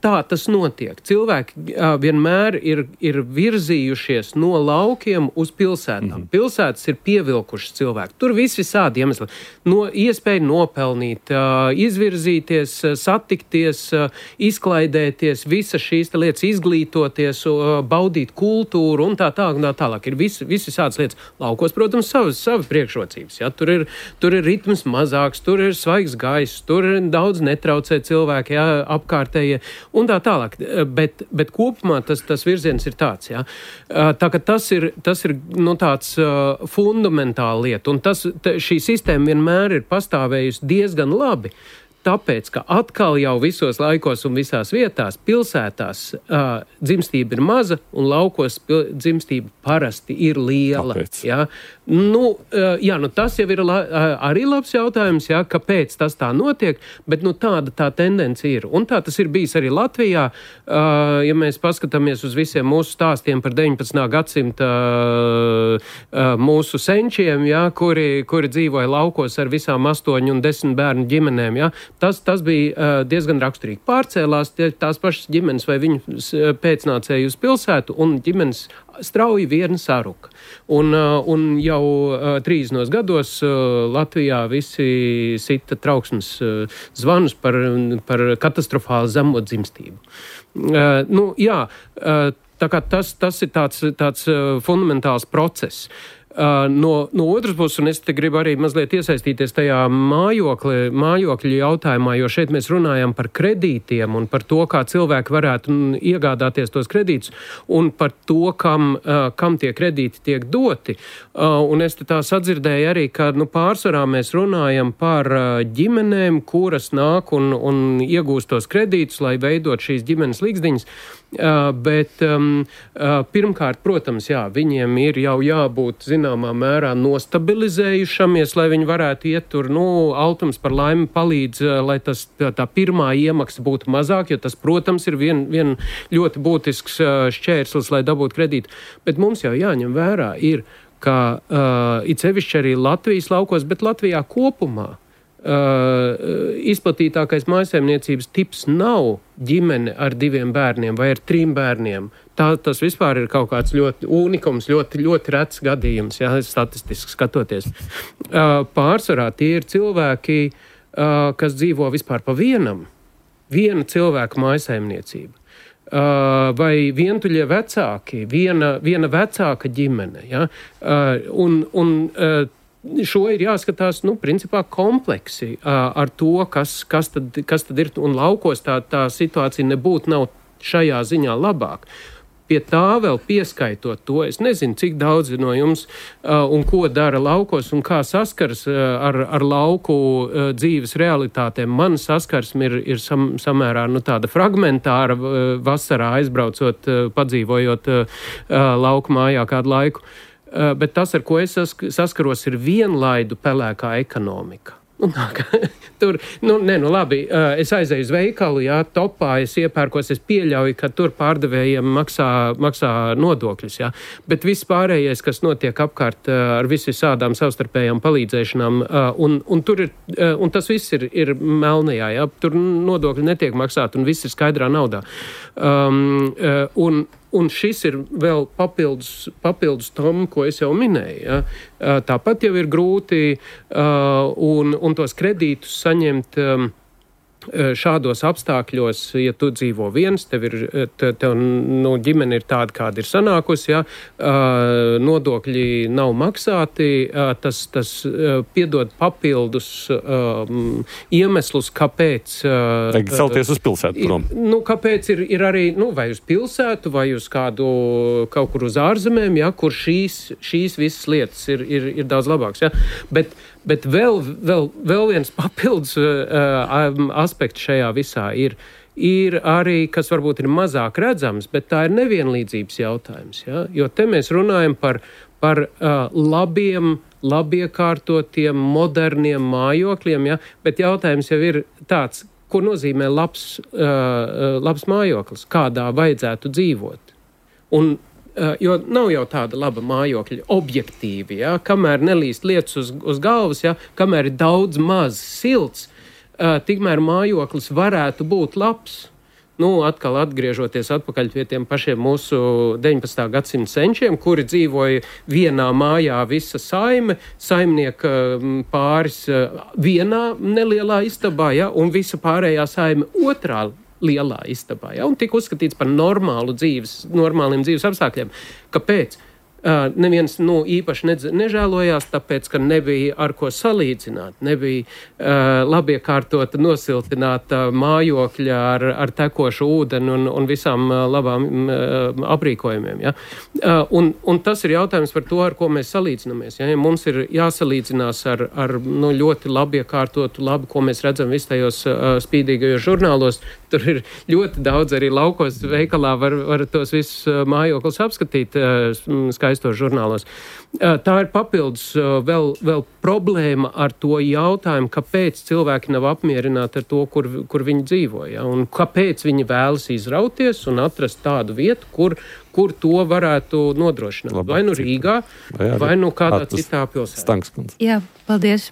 tā tas notiek. Cilvēki vienmēr ir virzījušies no laukiem uz pilsētām. Pilsētas ir pievilkušas cilvēku. Tur visādi iemesli. Iespēja nopelnīt, izvirzīties, satikties, izklaidēties, visas šīs lietas, izglītoties, baudīt kultūru un tā tālāk. Ir visādas lietas. Laukos, protams, savi priekšrocības. Ja? Tur ir ritms mazāks, tur ir svaigs gaiss, tur ir daudz netraucē cilvēki, ja? Apkārtējie un tā tālāk. Bet kopumā tas virziens ir tāds. Ja? Tā ka tas ir tāds fundamentāla lieta. Un šī sistēma vienmēr ir pastāvējusi diezgan labi. Tāpēc, ka atkal jau visos laikos un visās vietās pilsētās dzimstība ir maza un laukos dzimstība parasti ir liela. Ja? Tas jau ir arī labs jautājums, ja? Kāpēc tas tā notiek, bet tāda tā tendence ir. Un tā tas ir bijis arī Latvijā. Ja mēs paskatāmies uz visiem mūsu stāstiem par 19. gadsimta mūsu senčiem, ja? kuri dzīvoja laukos ar visām 8 un 10 bērnu ģimenēm, ja? Tas bija diezgan raksturīgi. Pārcēlās tās pašas ģimenes vai viņu pēcnācēji uz pilsētu, un ģimenes strauji viena saruka. Un jau 30 gados Latvijā visi sita trauksmes zvanus par katastrofālu zemo dzimstību. Tā kā tas ir tāds fundamentāls process. No otras puses, un es te gribu arī mazliet iesaistīties tajā mājokļu jautājumā, jo šeit mēs runājam par kredītiem un par to, kā cilvēki varētu iegādāties tos kredītus un par to, kam tie kredīti tiek doti. Un es te tā sadzirdēju arī, ka pārsvarā mēs runājam par ģimenēm, kuras nāk un iegūst tos kredītus, lai veidot šīs ģimenes līgzdiņas. Bet pirmkārt, protams, viņiem ir jau jābūt zināmā mērā nostabilizējušamies, lai viņi varētu iet tur, Altums par laimi palīdz, lai tā pirmā iemaksa būtu mazāk, jo tas, protams, ir vien ļoti būtisks šķērslis, lai dabūtu kredītu. Bet mums jau jāņem vērā ir, ka it sevišķi arī Latvijas laukos, bet Latvijā kopumā izplatītākais mājsaimniecības tips nav ģimene ar 2 bērniem vai ar 3 bērniem. Tas vispār ir kaut kāds ļoti unikums, ļoti, ļoti rets gadījums, statistiski skatoties. Pārsvarā tie ir cilvēki, kas dzīvo vispār pa viena cilvēka mājsaimniecība. Vai vientuļie vecāki, viena vecāka ģimene. Ja? Šo ir jāskatās, principā kompleksi ar to, kas tad ir, un laukos tā situācija nav šajā ziņā labāk. Pie tā vēl pieskaitot to, es nezinu, cik daudzi no jums un ko dara laukos un kā saskars ar lauku dzīves realitātēm. Man saskarsme ir samērā tāda fragmentāra vasarā aizbraucot, padzīvojot lauku mājā kādu laiku. Bet tas, ar ko es saskaros, ir vienlaidu pelēkā ekonomika. Labi, es aizēju uz veikalu, topā, es iepērkos, es pieļauju, ka tur pārdevējiem maksā nodokļus, bet viss pārējais, kas notiek apkārt ar visādām savstarpējām palīdzēšanām, un tas viss ir melnajā, tur nodokļi netiek maksāti un viss ir skaidrā naudā. Un šis ir vēl papildus tam, ko es jau minēju. Ja? Tāpat jau ir grūti un tos kredītus saņemt šādos apstākļos, ja tu dzīvo viens, tev ģimene ir tāda, kāda ir sanākusi, nodokļi nav maksāti, tas piedod papildus iemeslus, kāpēc... Vajag celties uz pilsētu prom. Kāpēc ir arī, vai uz pilsētu, vai uz kaut kur uz ārzemēm, kur šīs visas lietas ir daudz labāks. Bet vēl viens papildus aspekts šajā visā ir arī, kas varbūt ir mazāk redzams, bet tā ir nevienlīdzības jautājums. Jo te mēs runājam par labiekārtotiem, moderniem mājokļiem, bet jautājums jau ir tāds, ko nozīmē labs mājoklis, kādā vajadzētu dzīvot. Jo nav jau tāda laba mājokļa objektīvi, kamēr nelīst lietas uz galvas, kamēr ir daudz maz silts, tikmēr mājoklis varētu būt labs. Atkal atgriežoties atpakaļ pie tiem pašiem mūsu 19. gadsimta senčiem, kuri dzīvoja vienā mājā visa saimnieka pāris vienā nelielā istabā, un visa pārējā saime otrā lielā istabā, un tika uzskatīts par normāliem dzīves apstākļiem. Kāpēc? Neviens īpaši nežēlojās, tāpēc, ka nebija ar ko salīdzināt, nebija labiekārtota, nosiltināta mājokļa ar tekošu ūdeni un visām labām aprīkojumiem. Un tas ir jautājums par to, ar ko mēs salīdzinamies. Ja mums ir jāsalīdzinās ar ļoti labiekārtotu, ko mēs redzam visu tajos spīdīgajos žurnālos, tur ir ļoti daudz arī laukos veikalā var tos visus mājokļus apskatīt skaistos žurnālos. Tā ir papildus vēl problēma ar to jautājumu, kāpēc cilvēki nav apmierināti ar to, kur viņi dzīvo, un kāpēc viņi vēlas izrauties un atrast tādu vietu, kur to varētu nodrošināt. Labi, vai Rīgā, vai kādā citā pilsētā. Stanks kundze. Jā, paldies.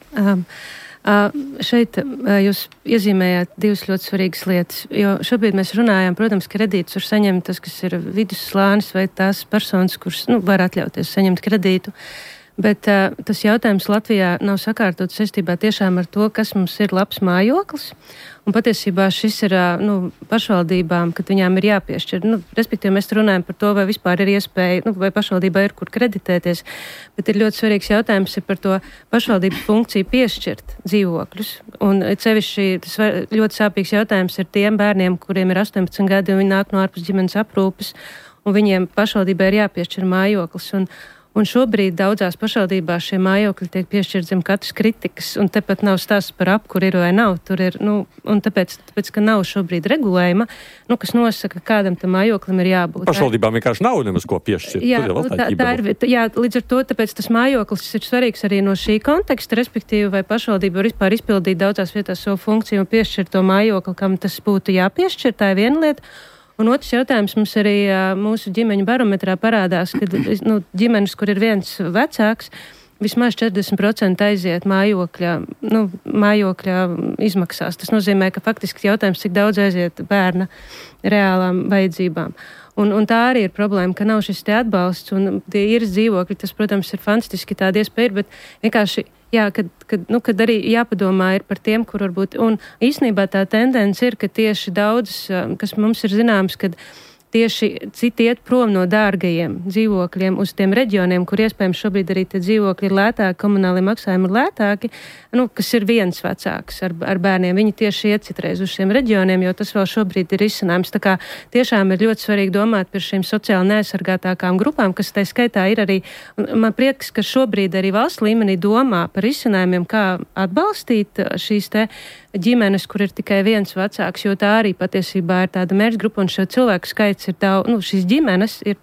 Šeit jūs iezīmējāt divas ļoti svarīgas lietas, jo šobrīd mēs runājam, protams, kredītus var saņemt tas, kas ir vidusslānis vai tās personas, kuras var atļauties saņemt kredītu. Bet tas jautājums Latvijā nav sakārtots saistībā tiešām ar to, kas mums ir labs mājoklis. Un patiesībā šis ir pašvaldībām, kad viņām ir jāpiešķir. Respektīvi, mēs runājam par to, vai vispār ir iespēja, vai pašvaldībā ir kur kreditēties. Bet ir ļoti svarīgs jautājums par to pašvaldības funkciju piešķirt dzīvokļus. Un sevišķi tas ļoti sāpīgs jautājums ir tiem bērniem, kuriem ir 18 gadi un viņi nāk no ārpus ģimenes aprūpes. Un viņiem pašvaldībai ir jāpiešķir mājoklis. Un šobrīd daudzās pašvaldībās šie mājokļi tiek piešķirti zem katras kritikas, un tepat nav stāsts par kur ir vai nav. Tur ir, un tāpēc, ka nav šobrīd regulējuma, kas nosaka, kādam tam mājoklim ir jābūt. Pašvaldībām vienkārši nav nemaz ko piešķirt. Jā, līdz ar to, tāpēc tas mājoklis ir svarīgs arī no šī konteksta, respektīvi, vai pašvaldība var vispār izpildīt daudzās vietās savu funkciju un piešķirt to mājokli, kam tas būtu jāpiešķir, tā ir viena lieta. Un otrs jautājums mums arī mūsu ģimeņu barometrā parādās, ka ģimenes, kur ir viens vecāks, vismaz 40% aiziet mājokļa izmaksās. Tas nozīmē, ka faktiski jautājums, cik daudz aiziet bērna reālām vajadzībām. Un tā arī ir problēma, ka nav šis te atbalsts un tie īres dzīvokļi, tas, protams, ir fantastiski tāda iespēja, bet vienkārši, kad arī jāpadomā ir par tiem, kur varbūt, un īstenībā tā tendence ir, ka tieši daudz, kas mums ir zināms, kad tieši citi iet prom no dārgajiem dzīvokļiem uz tiem reģioniem, kur iespējams šobrīd arī tie dzīvokļi ir lētāki, komunālie maksājumi ir lētāki, kas ir viens vecāks ar bērniem. Viņi tieši iet citreiz uz šiem reģioniem, jo tas vēl šobrīd ir izcinājums. Tā kā tiešām ir ļoti svarīgi domāt par šīm sociāli neaizsargātākām grupām, kas tai skaitā ir arī, man prieks, ka šobrīd arī valsts līmenī domā par izcinājumiem, kā atbalstīt šīs te ģimenes, kur ir tikai viens vecāks, jo tā arī patiesībā ir tāda mērķgrupa, un šo cilvēku skaits ir daudz, šīs ģimenes ir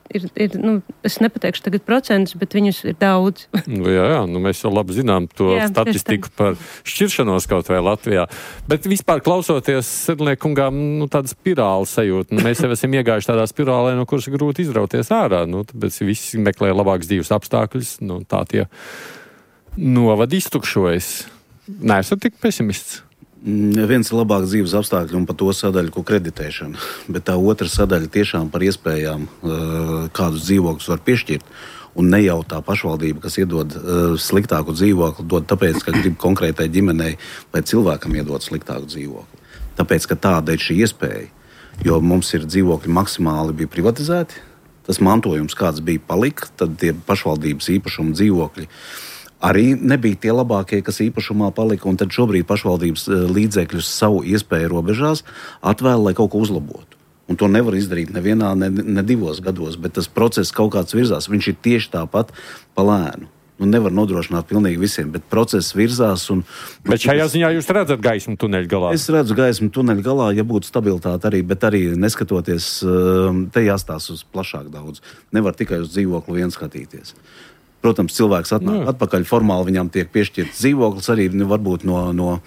es nepateikšu tagad procentus, bet viņus ir daudz. Jā, mēs jau labi zinām to statistiku par šķiršanos kaut vai Latvijā. Bet vispār klausoties Sedlniekungām, tāda spirāla sajūta. Mēs jau esam iegājuši tādā spirālē, no kuras grūti izrauties ārā. Tāpēc visi meklē labākus dzīves apstākļus. Tā tie novadi iztukšojas. Neesat tik pesimists? Viens ir labāk dzīves apstākļi un par to sadaļu, ko kreditēšana, bet tā otra sadaļa tiešām par iespējām, kādus dzīvokļus var piešķirt, un ne jau tā pašvaldība, kas iedod sliktāku dzīvokli, dod tāpēc, ka grib konkrētai ģimenei vai cilvēkam iedot sliktāku dzīvokli. Tāpēc, ka tāda ir šī iespēja, jo mums ir dzīvokļi maksimāli bija privatizēti, tas mantojums, kāds bija palika, tad tie pašvaldības īpašuma dzīvokļi arī nebija tie labākie, kas īpašumā palika, un tad šobrīd pašvaldības līdzekļus savu iespēju robežās atvēl, lai kaut ko uzlabotu. Un to nevar izdarīt nevienā, ne 2 gados, bet tas process kaut kāds virzās. Viņš ir tieši tāpat pa lēnu. Nevar nodrošināt pilnīgi visiem, bet process virzās. Bet šajā ziņā jūs redzat gaismu tuneļa galā? Es redzu gaismu tuneļa galā, ja būtu stabilitāte arī, bet arī neskatoties, te jāstās uz plašāk daudz. Nevar tikai uz dzīvokli vien skatīties. Protams, cilvēks atnāk atpakaļ, formāli viņam tiek piešķirts dzīvoklis, arī varbūt no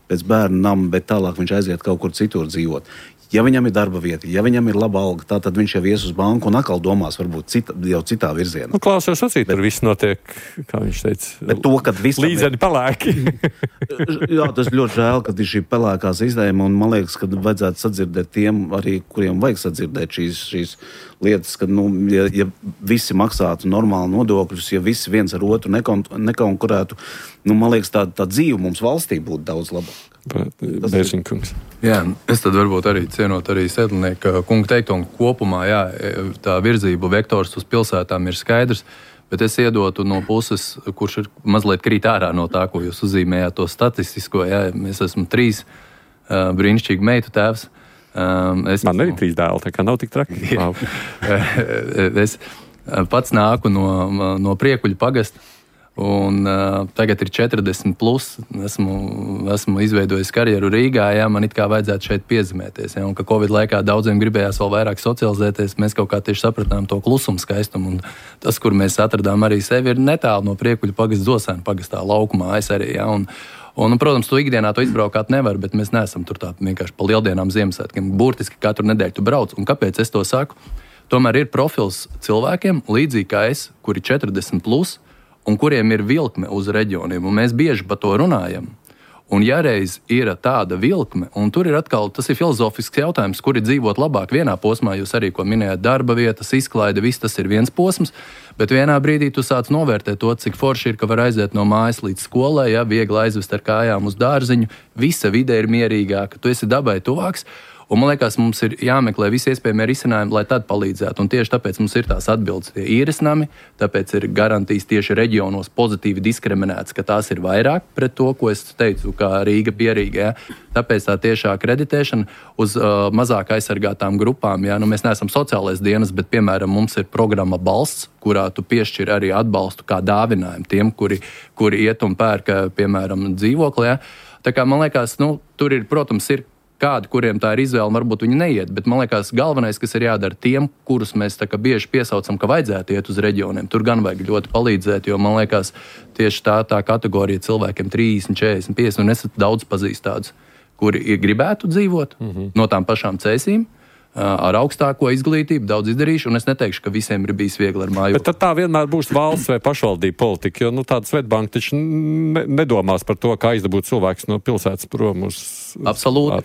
pēc bērnu nama, bet tālāk viņš aiziet kaut kur citur dzīvot. Ja viņam ir darba vieta, ja viņam ir laba alga, tad viņš jau ies uz banku un atkal domās varbūt jau citā virzienā. Klausos acīt, tur viss notiek, kā viņš teica, bet to, kad līdzeni pelēki. Jā, tas ļoti žēl, kad ir šī pelēkā sistēma, un man liekas, ka vajadzētu sadzirdēt tiem arī, kuriem vajag sadzirdēt šīs lietas, ka, ja visi maksātu normāli nodokļus, ja visi viens ar otru nekonkurētu, man liekas, tā dzīve mums valstī būtu daudz labāka. Bērziņkungs. Jā, es tad varbūt arī cienot arī Sedlnieka kunga teikto, un kopumā, tā virzību vektors uz pilsētām ir skaidrs, bet es iedotu no puses, kurš ir mazliet krīt ārā no tā, ko jūs uzzīmējāt to statistisko, es esmu 3 brīnišķīgu meitu tēvs. Man arī 3 dēli, tā kā nav tik traki. Es pats nāku no Priekuļu pagasta, un tagad ir 40 plus, esmu izveidojis karjeru Rīgā, man it kā vajadzētu šeit piezemēties, un ka Covid laikā daudziem gribējās vēl vairāk socializēties, mēs kaut kā tieši sapratām to klusumu skaistumu, un tas, kur mēs atradām arī sevi, ir netālu no Priekuļu pagasta Zosēnu pagastā laukumā, es arī, un, protams, tu ikdienā to izbraukāt nevar, bet mēs neesam tur tā vienkārši pa lieldienām Ziemassvētkiem, burtiski katru nedēļu tu brauc, un kāpēc es to saku? Tomēr ir profils cilvēkiem, līdzīgi kā es, kuri 40 plus, un kuriem ir vilkme uz reģioniem, un mēs bieži par to runājam. Un ja reiz ir tāda vilkme, un tur ir atkal, tas ir filozofisks jautājums, kur ir dzīvot labāk vienā posmā, jūs arī, ko minējāt, darba vietas, izklaide, viss tas ir viens posms, bet vienā brīdī tu sāc novērtēt to, cik forši ir, ka var aiziet no mājas līdz skolai, ja, viegli aizvest ar kājām uz dārziņu, visa vide ir mierīgāka, tu esi dabai tuvāks. Un man liekas, mums ir jāmeklē visi iespējamie risinājumi, lai tad palīdzētu. Un tieši tāpēc mums ir tās atbildes tie īresnami, tāpēc ir garantijas tieši reģionos pozitīvi diskriminēts, ka tās ir vairāk pret to, ko es teicu, kā Rīga pierīga. Ja? Tāpēc tā tiešā kreditēšana uz mazāk aizsargātām grupām. Ja? Nu, mēs neesam sociālais dienas, bet, piemēram, mums ir programma Balsts, kurā tu piešķir arī atbalstu kā dāvinājumu tiem, kuri iet un pērka, piemēram, dzīvokli. Ja? Tā kā man liekas, tur ir, protams, ir kādi, kuriem tā ir izvēle, varbūt viņi neiet, bet man liekas, galvenais, kas ir jādara tiem, kurus mēs tā kā bieži piesaucam, ka vajadzētu iet uz reģioniem, tur gan vajag ļoti palīdzēt, jo man liekas, tieši tā kategorija cilvēkiem 30, 40, 50, un es daudz pazīstu tādus, kuri gribētu dzīvot no tām pašām cēsīm, ar augstāko izglītību, daudz izdarījuši, un es neteikšu, ka visiem ir bijis viegli ar mājokli. Bet tad tā vienmēr būs valsts vai pašvaldība politika, jo tāda Svetbanka taču nedomās par to, kā izdabūt cilvēks no pilsētas prom uz... Absolūti.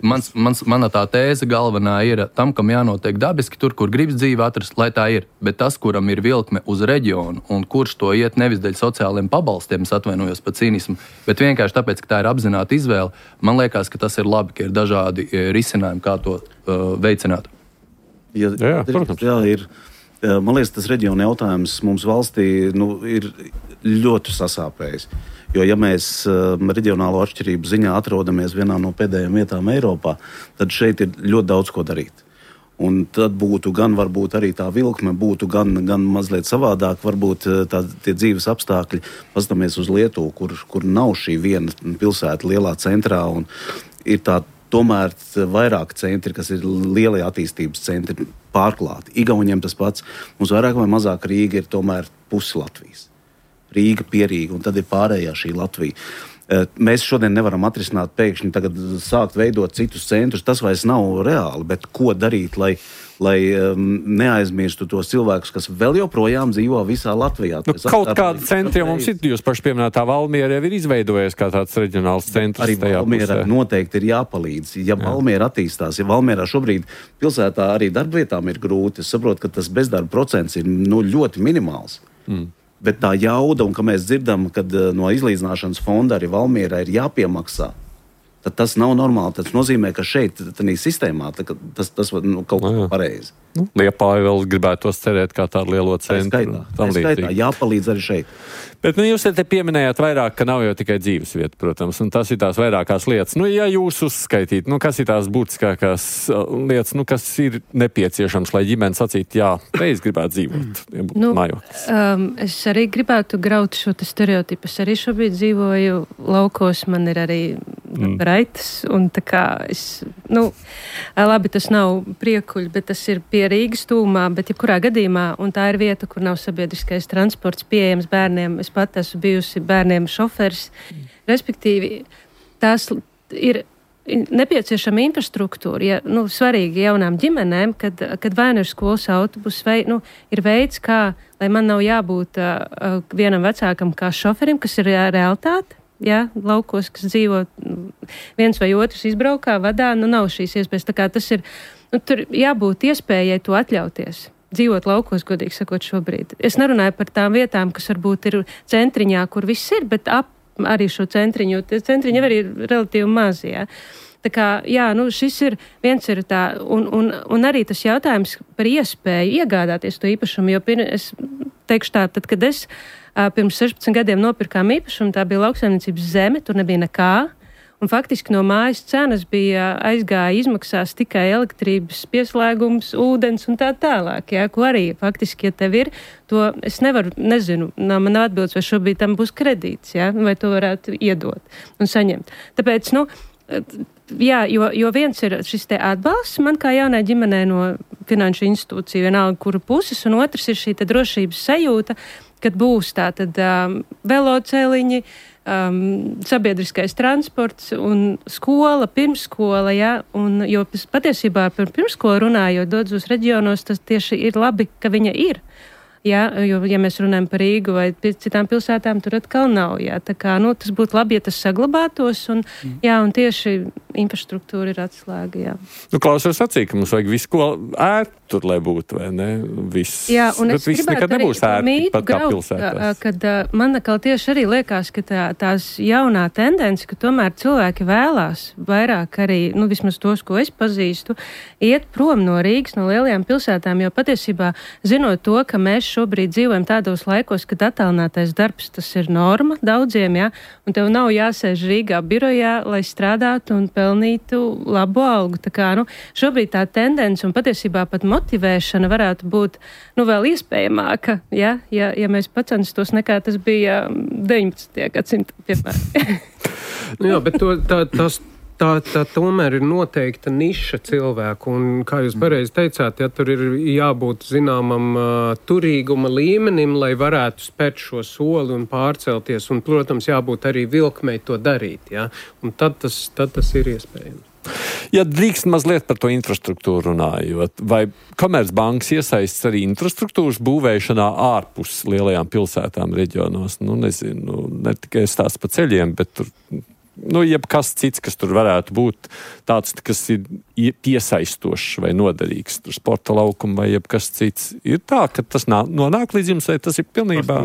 Mana tā tēze galvenā ir tam, kam jānotiek dabiski tur, kur gribas dzīvi atrast, lai tā ir. Bet tas, kuram ir vilkme uz reģionu, un kurš to iet nevis dēļ sociāliem pabalstiem, es atvainojos par cīnismu, bet vienkārši tāpēc, ka tā ir apzināta izvēle, man liekas, ka tas ir labi, ka ir dažādi risinājumi, kā to veicināt. Jā, ir. Man liekas, tas reģiona jautājums mums valstī ir ļoti sasāpējis. Jo, ja mēs reģionālo atšķirību ziņā atrodamies vienā no pēdējām vietām Eiropā, tad šeit ir ļoti daudz ko darīt. Un tad būtu gan varbūt arī tā vilkme, būtu gan mazliet savādāk, varbūt tie dzīves apstākļi. Paskatāmies uz Lietuvu, kur nav šī viena pilsēta lielā centrā, un ir tā tomēr vairāk centri, kas ir lielie attīstības centri, pārklāti. Igauniem tas pats. Mums vairāk vai mazāk Rīga ir tomēr pusi Latvijas. Rīga, Pierīga, un tad ir pārējā šī Latvija. Mēs šodien nevaram atrisināt pēkšņi tagad sākt veidot citus centrus. Tas vairs nav reāli, bet ko darīt, lai neaizmirstu tos cilvēkus, kas vēl joprojām dzīvo visā Latvijā. Kaut kāda centra mums ir, jūs paši pieminētā Valmiera jau ir izveidojies kā tāds reģionāls centrs. Arī Valmiera noteikti ir jāpalīdz. Ja Valmiera attīstās, ja Valmierā šobrīd pilsētā arī darbvietām ir grūti, es saprotu, ka tas bezdarba procents ir ļoti minimāls. Bet tā jauda, un ka mēs dzirdam, kad no izlīdzināšanas fonda arī Valmierā ir jāpiemaksā, tad tas nav normāli. Tas nozīmē, ka šeit, tādā sistēmā, tas kaut kā pareizi. Liepāja vēl gribētu tos cerēt kā tādu lielo centru. Tā skaitā, jāpalīdz arī šeit. Bet jūs te pieminējāt vairāk, ka nav jau tikai dzīves vieta, protams, un tas ir tās vairākās lietas. Ja jūs uzskaitītu, kas ir tās būtiskākās lietas, kas ir nepieciešams, lai ģimene sacītu, jā, es gribētu dzīvot, mājoklis. Es arī gribētu graut šo stereotipu. Es arī šobrīd dzīvoju laukos, man ir arī raitas, un tā kā labi, tas nav priekuļi, bet tas ir pie Rīgas tūmā, bet jebkurā gadījumā, un tā ir vieta, kur nav sabiedriskais transports pieejams bērniem. Es pat esmu bijusi bērniem šoferis. Respektīvi, tās ir nepieciešama infrastruktūra, svarīgi jaunām ģimenēm, kad vai nu ir skolas autobus, vai ir veids, kā, lai man nav jābūt vienam vecākam kā šoferim, kas ir realitāte. Ja, laukos, kas dzīvo viens vai otrs izbraukā, vadā, nav šīs iespējas. Tā kā tas ir, tur jābūt iespējai to atļauties. Dzīvot laukos, godīgi sakot, šobrīd. Es nerunāju par tām vietām, kas varbūt ir centriņā, kur viss ir, bet ap arī šo centriņu. Centriņi arī ir relatīvi mazi, ja. Tā kā, šis ir, viens ir tā, un arī tas jautājums par iespēju iegādāties to īpašumu, jo es teikšu tā, tad, kad es pirms 16 gadiem nopirkām īpašumu, tā bija lauksaimniecības zeme, tur nebija nekā, un faktiski no mājas cenas aizgāja izmaksās tikai elektrības pieslēgums, ūdens un tā tālāk, ja, ko arī faktiski, ja tev ir, to es nezinu, man nav atbildes, vai šobrīd tam būs kredīts, ja, vai to varētu iedot un saņemt. Tāpēc, jo viens ir šis te atbalsts man kā jaunai ģimenei no finanšu institūciju, vienalga kuru puses, un otrs ir šī te drošības sajūta, kad būs tātad veloceliņi, sabiedriskais transports un skola, pirmskola, ja, un jo patiesībā par pirmskolu runājot, dodas uz reģionos, tas tieši ir labi, ka viņa ir. Jā, jo, ja mēs runājam par Rīgu vai citām pilsētām, tur atkal nav. Jā. Tā kā, tas būtu labi, ja tas saglabātos, un tieši infrastruktūra ir atslēga. Jā. Klausos sacīja, ka mums vajag visu, ko ērti tur, lai būtu, vai ne? Viss. Jā, un bet viss nekad nebūs ērti, pat kā pilsētās. Kad man atkal tieši arī liekas, ka tās jaunā tendence, ka tomēr cilvēki vēlās vairāk arī, vismaz tos, ko es pazīstu, iet prom no Rīgas, no lielajām pilsētām, jo patiesībā zinot to, ka mēs šobrīd dzīvojam tādos laikos, kad attālinātais darbs, tas ir norma daudziem, jā, un tev nav jāsēž Rīgā birojā, lai strādātu un pelnītu labu algu. Tā kā, šobrīd tā tendence un patiesībā pat motivēšana varētu būt, vēl iespējamāka, ja mēs pacenstos nekā tas bija 19. gadsimta, piemēram. Jā, bet tā tomēr ir noteikta niša cilvēku, un, kā jūs pareizi teicāt, tur ir jābūt zināmam turīguma līmenim, lai varētu spērt šo soli un pārcelties, un, protams, jābūt arī vilkmei to darīt, ja? Un tad tas ir iespējams. Ja drīkst mazliet par to infrastruktūru runājot, vai Komercbankas iesaistas arī infrastruktūras būvēšanā ārpus lielajām pilsētām reģionos? Nezinu, ne tikai stāsts pa ceļiem, bet tur jebkas cits, kas tur varētu būt tāds, kas ir piesaistošs vai noderīgs, tur sporta laukuma vai jebkas cits. Ir tā, ka tas nonāk līdz jums, vai tas ir pilnībā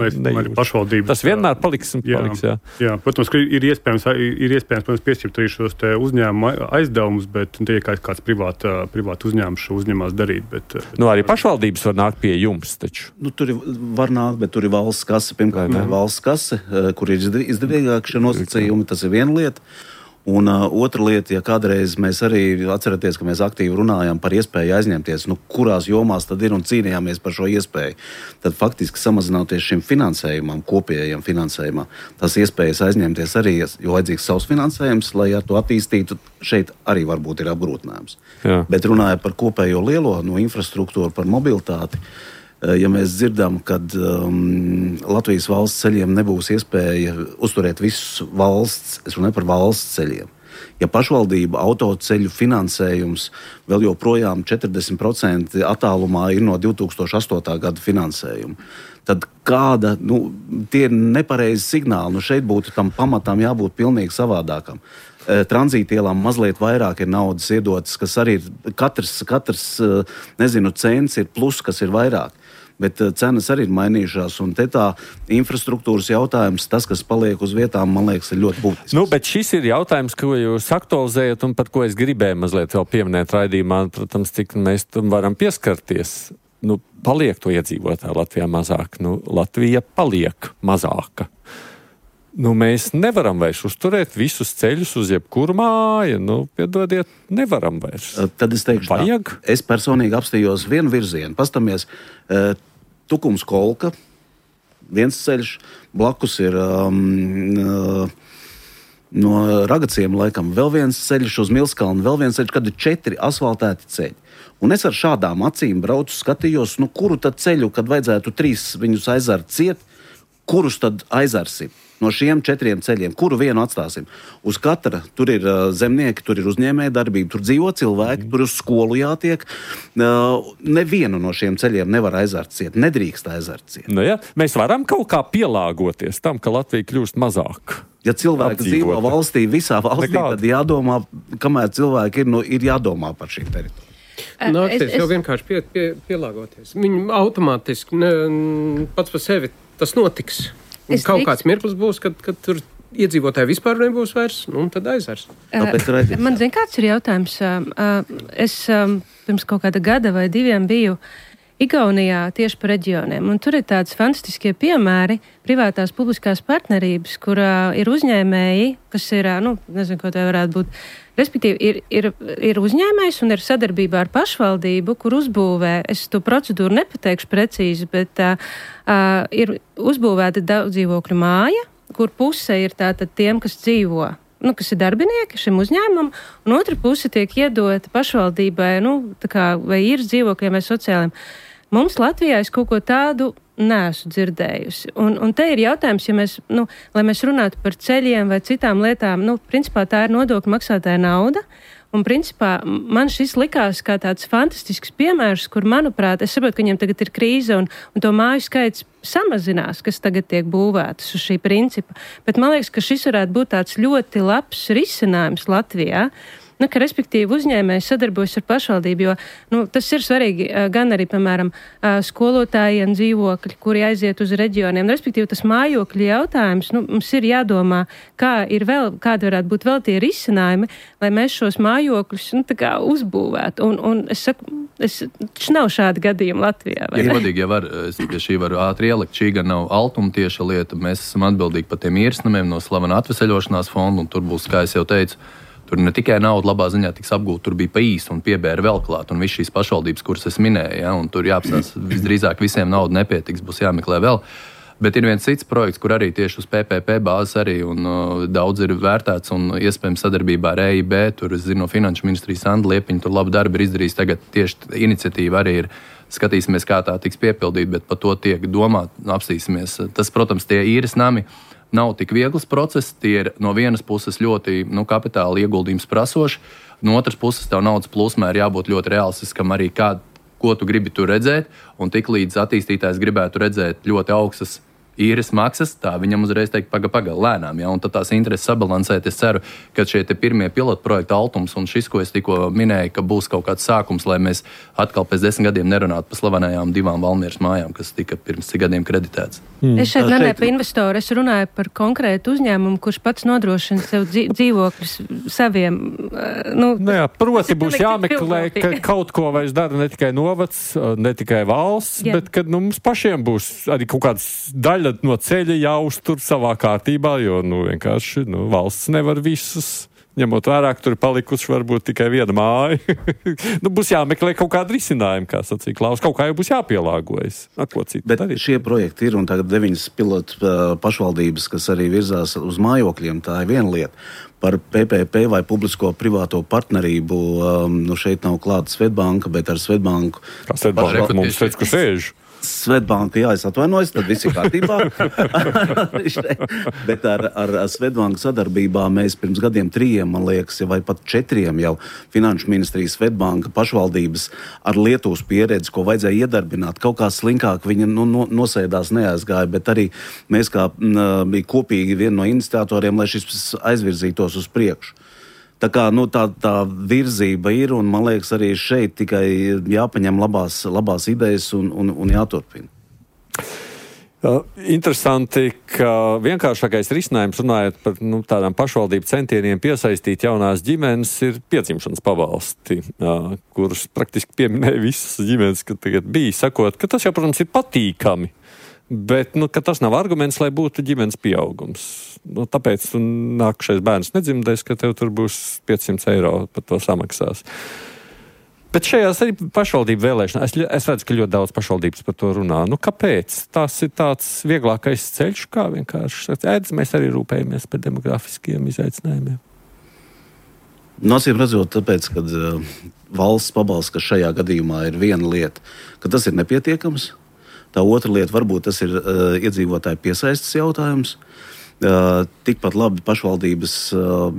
pašvaldības. Tas vienmēr paliks un paliks, jā. Jā, protams, ka ir iespējams, protams, piešķirt arī šos te uzņēmuma aizdevumus, bet tie ir kāds privāti uzņēmums šo uzņēmās darīt. Bet arī pašvaldības var nākt pie jums, taču. Tur var nākt, bet tur ir valsts kase, pirmkārt, valsts kase, kur ir izdevīgāk šie nosacījumi, tas ir viena lieta. Un otra lieta, ja kādreiz mēs arī atceraties, ka mēs aktīvi runājām par iespēju aizņemties, kurās jomās tad ir un cīnījāmies par šo iespēju, tad faktiski samazināties šim finansējumam, kopējam finansējumam, tas iespējas aizņemties arī, jo vajadzīgs savs finansējums, lai to attīstītu, šeit arī varbūt ir apgrūtinājums. Jā. Bet runājot par kopējo lielo infrastruktūru, par mobilitāti, ja mēs dzirdam, kad Latvijas valsts ceļiem nebūs iespēja uzturēt visus valsts, es runāju par valsts ceļiem. Ja pašvaldība autoceļu finansējums vēl joprojām 40% attālumā ir no 2008. gada finansējuma, tad kāda, tie ir nepareizi signāli. Šeit būtu tam pamatām jābūt pilnīgi savādākam. Tranzītielām mazliet vairāk ir naudas iedotas, kas arī ir katrs cents ir plus, kas ir vairāk. Bet cenas arī ir mainījušās, un te tā infrastruktūras jautājums, tas, kas paliek uz vietām, man liekas, ir ļoti būtisks. Bet šis ir jautājums, ko jūs aktualizējat, un par ko es gribēju mazliet vēl pieminēt raidījumā, protams, cik mēs tam varam pieskarties. Paliek to iedzīvotāju Latvijā mazāk. Latvija paliek mazāka. Mēs nevaram vairs uzturēt visus ceļus uz jebkuru māju. Piedodiet, nevaram vairs. Tad es teikšu, vajag? Es personīgi apstījos vienu virzienu. Pastamies, Tukums Kolka, viens ceļš, blakus ir no Ragaciem laikam vēl viens ceļš uz Milskalnu, vēl viens ceļš, kad ir 4 asfaltēti ceļi. Un es ar šādām acīm braucu, skatījos, kuru tad ceļu, kad vajadzētu 3 viņus aizart ciet, kurus tad aizarsim? No šiem 4 ceļiem, kuru vienu atstāsim? Uz katra tur ir zemnieki, tur ir uzņēmēja darbība, tur dzīvo cilvēki, tur uz skolu jātiek. Nevienu no šiem ceļiem nevar aizārt ciet, nedrīkst aizārt ciet. Mēs varam kaut kā pielāgoties tam, ka Latvija kļūst mazāk. Ja cilvēki dzīvo valstī, visā valstī, tad jādomā, kamēr cilvēki ir jādomā par šīm teritorijām. Nāksies jau vienkārši pielāgoties. Viņi automātiski pats par sevi tas notiks. Kaut kāds mirklis būs, kad tur iedzīvotāji vispār nebūs vairs, un tad aizvers. Man zin, kāds ir jautājums. Es pirms kaut kāda gada vai 2 biju Igaunijā tieši par reģioniem, un tur ir tāds fantastiskie piemēri privātās publiskās partnerības, kurā ir uzņēmēji, kas ir, nezinu, ko tā varētu būt, respektīvi ir uzņēmējs un ir sadarbībā ar pašvaldību, kur uzbūvē, es to procedūru nepateikšu precīzi, bet ir uzbūvēta daudz dzīvokļu māja, kur puse ir tātad tiem, kas dzīvo, kas ir darbinieki šim uzņēmumam, un otra puse tiek iedota pašvaldībai, tā kā vai ir dzīvokļiem vai sociāliem. Mums Latvijā es kaut ko tādu neesmu dzirdējusi. Un te ir jautājums, ja mēs, lai mēs runātu par ceļiem vai citām lietām, principā tā ir nodokļu maksātāja nauda, Un principā man šis likās kā tāds fantastisks piemērs, kur, manuprāt, es saprotu, ka viņiem tagad ir krīze un to māju skaits samazinās, kas tagad tiek būvētas uz šī principa. Bet man liekas, ka šis varētu būt tāds ļoti labs risinājums Latvijā. Ka respektīvi uzņēmēji sadarbojas ar pašvaldību, jo tas ir svarīgi gan arī, piemēram, skolotājiem dzīvokļi, kuri aiziet uz reģioniem. Respektīvi, tas mājokļu jautājums, mums ir jādomā, kādi varētu būt vēl tie risinājumi, lai mēs šos mājokļus uzbūvētu. Un es saku, taču nav šādi gadījumi Latvijā. Ja godīgi, ja var, es pie šī varu ātri ielikt, šī gan nav altuma tieša lieta. Mēs esam atbildīgi par tiem īresnamiem no slavena atveseļošanās fonda, un tur būs, kā es jau teicu, tur ne tikai nauda labā ziņā tiks apgūta, tur bija pa īsu un piebēra vēl klāt, un viss šīs pašvaldības, kuras es minēju, un tur jāapstās, visdrīzāk visiem nauda nepietiks, būs jāmeklē vēl. Bet ir viens cits projekts, kur arī tieši uz PPP bāzes arī, un daudz ir vērtēts, un iespējams sadarbībā ar EIB, tur es zinu no Finanšu ministrijas Sanda Liepiņa, tur labu darbu ir izdarījis, tagad tieši iniciatīva arī ir, skatīsimies, kā tā tiks piepildīt, bet par to tiek domāt, apstīsimies. Tas, protams, tie īres nami nav tik viegls process, tie ir no vienas puses ļoti kapitāla ieguldījums prasoši, no otras puses tev naudas plūsmā ir jābūt ļoti realistiskam arī ko tu gribi tur redzēt, un tik līdz attīstītājs gribētu redzēt ļoti augstas īres maksas, tā viņam uzreiz teikt paga lēnām, un tad tās intereses sabalansēt. Es ceru, ka šie te pirmie pilotprojekti Altums un šis, ko es tikko minēju, ka būs kaut kāds sākums, lai mēs atkal pēc 10 gadiem nerunātu par slavenajām 2 Valmieras mājām, kas tika pirms 10 gadiem kreditēts. Es šeit nerunāju par investoru, es runāju par konkrētu uzņēmumu, kurš pats nodrošina sev dzīvokļus saviem. Proti būs jāmeklē, ka kaut ko vairs dara ne tikai novads, ne tikai valsts, bet kad mums pašiem būs arī kaut kāds daļa no ceļa jāuztur savā kārtībā, jo vienkārši valsts nevar visus, ņemot vērā, ka tur ir palikuši varbūt tikai viena māja. Būs jāmeklē kaut kāda risinājuma, kā sacīja Klaus, kaut kā jau būs jāpielāgojas. Bet šie projekti ir, un tagad 9 pilotu pašvaldības, kas arī virzās uz mājokļiem, tā ir viena lieta. Par PPP vai publisko-privāto partnerību, šeit nav klāta Svetbanka, bet ar Svetbanku... Kā Svetbanka mums teica, ka sēž? Svetbanka, es atvainojos, tad viss ir kārtībā. Bet ar Svetbanku sadarbībā mēs pirms gadiem 3, man liekas, vai pat 4 jau Finanšu ministrijas Svetbanka pašvaldības ar Lietuvas pieredzi, ko vajadzēja iedarbināt. Kaut kā slinkāk viņa nosēdās, neaizgāja, bet arī mēs kā bija kopīgi viena no iniciatoriem, lai šis aizvirzītos uz priekšu. Tā kā tā virzība ir, un man liekas arī šeit tikai jāpaņem labās idejas un jāturpina. Interesanti, ka vienkāršākais risinājums, runājot par tādām pašvaldību centieniem piesaistīt jaunās ģimenes, ir piedzimšanas pabalsti, kurus praktiski pieminēja visas ģimenes, ka tagad bija, sakot, ka tas jau, protams, ir patīkami. Bet ka tas nav arguments, lai būtu ģimenes pieaugums. Tāpēc nākamais bērns nedzimdēs, ka tev tur būs 500 eiro par to samaksās. Bet šajās arī pašvaldību vēlēšanās, es redzu, ka ļoti daudz pašvaldības par to runā. Kāpēc? Tas ir tāds vieglākais ceļš, kā vienkārši. Mēs arī rūpējamies par demografiskiem izaicinājumiem. Acīm redzot, tāpēc, ka valsts pabalsts, kas šajā gadījumā ir viena lieta, ka tas ir nepietiekams. Tā otra lieta, varbūt tas ir iedzīvotāju piesaistes jautājums. Tikpat labi pašvaldības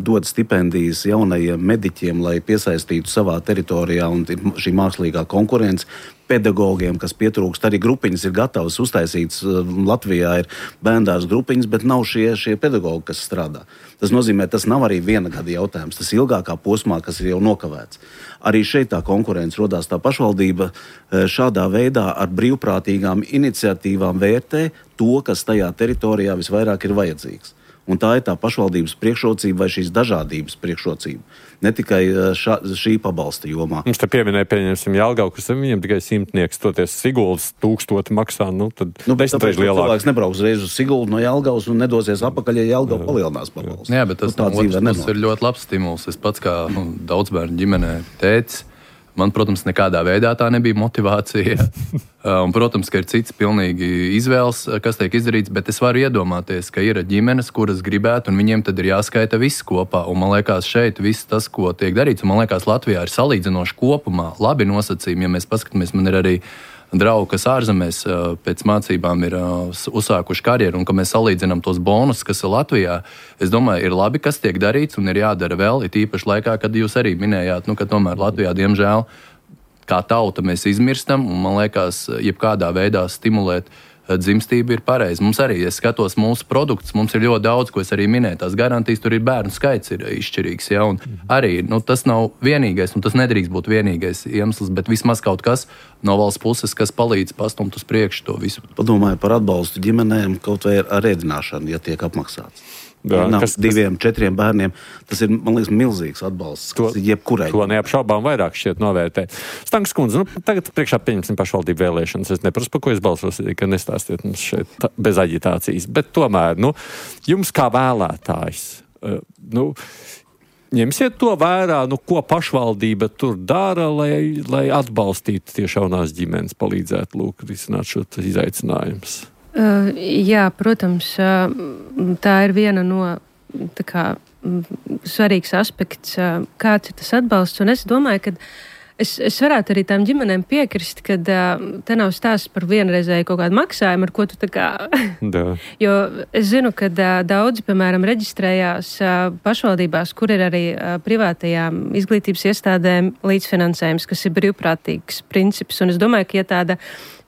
dod stipendijas jaunajiem mediķiem, lai piesaistītu savā teritorijā, un šī mākslīgā konkurence pedagogiem, kas pietrūkst. Arī grupiņas ir gatavas uztaisītas. Latvijā ir bērndārs grupiņas, bet nav šie pedagogi, kas strādā. Tas nozīmē, tas nav arī viena gada jautājums. Tas ilgākā posmā, kas ir jau nokavēts. Arī šeit tā konkurence rodās. Tā pašvaldība šādā veidā ar brīvprātīgām iniciatīvām vērtē to, kas tajā teritorijā visvairāk ir vajadzīgs. Un tā ir tā pašvaldības priekšrocība vai šīs dažādības priekšrocība. Ne tikai šī pabalsta jomā. Mums te pieminēja, pieņemsim, Jelgavu, kas viņam tikai 100, toties Siguldas 1000 maksā, tad 10 reiz lielāk. Cilvēks nebrauks reiz uz Siguldu no Jelgavas un nedosies apakaļ, ja Jelgava palielinās pabalstu. Jā, bet tas ir ļoti labs stimuls. Es pats kā daudzbērnu ģimenē tētis, man, protams, nekādā veidā tā nebija motivācija. Un, protams, ka ir cits pilnīgi izvēles, kas tiek izdarīts, bet es varu iedomāties, ka ir ģimenes, kuras gribētu, un viņiem tad ir jāskaita viss kopā. Un man liekas, šeit viss tas, ko tiek darīts, un man liekas, Latvijā ir salīdzinoši kopumā labi nosacījumi. Ja mēs paskatāmies, man ir arī draugi, kas ārzemēs pēc mācībām ir uzsākuši karjeru un ka mēs salīdzinām tos bonus, kas ir Latvijā, es domāju, ir labi, kas tiek darīts un ir jādara vēl, it īpaši laikā, kad jūs arī minējāt, ka tomēr Latvijā, diemžēl, kā tauta mēs izmirstam un, man liekas, jebkādā veidā stimulēt dzimstība ir pareizi. Mums arī, es skatos mūsu produktus, mums ir ļoti daudz, ko es arī minēju. Tās garantijas, tur ir bērnu skaits ir izšķirīgs. Ja? Un arī tas nav vienīgais, un tas nedrīkst būt vienīgais iemesls, bet vismaz kaut kas no valsts puses, kas palīdz pastumt uz priekšu to visu. Padomāju par atbalstu ģimenēm, kaut vai ar ēdināšanu, ja tiek apmaksāts. Jā, 2, 4 bērniem. Tas ir, man liekas, milzīgs atbalsts. Jebkurai. To neapšaubām vairāk šķiet novērtē. Stankas kundze, tagad priekšā pieņemsim pašvaldību vēlēšanas. Es neprasu, par ko es balsošu, ka nestāstiet mums šeit bez aģitācijas. Bet tomēr, jums kā vēlētājs, ņemsiet to vērā, ko pašvaldība tur dara, lai atbalstītu tieši jaunās ģimenes, palīdzētu risināt šo izaicinājumus. Jā, protams, tā ir viena no svarīgs aspekts, kāds ir tas atbalsts. Un es domāju, ka es varētu arī tām ģimenēm piekrist, ka te nav stāsts par vienreizēju kaut kādu maksājumu, ar ko tu Jo es zinu, ka daudzi, piemēram, reģistrējās pašvaldībās, kur ir arī privātajām izglītības iestādēm līdzfinansējums, kas ir brīvprātīgs princips. Un es domāju, ka ja tāda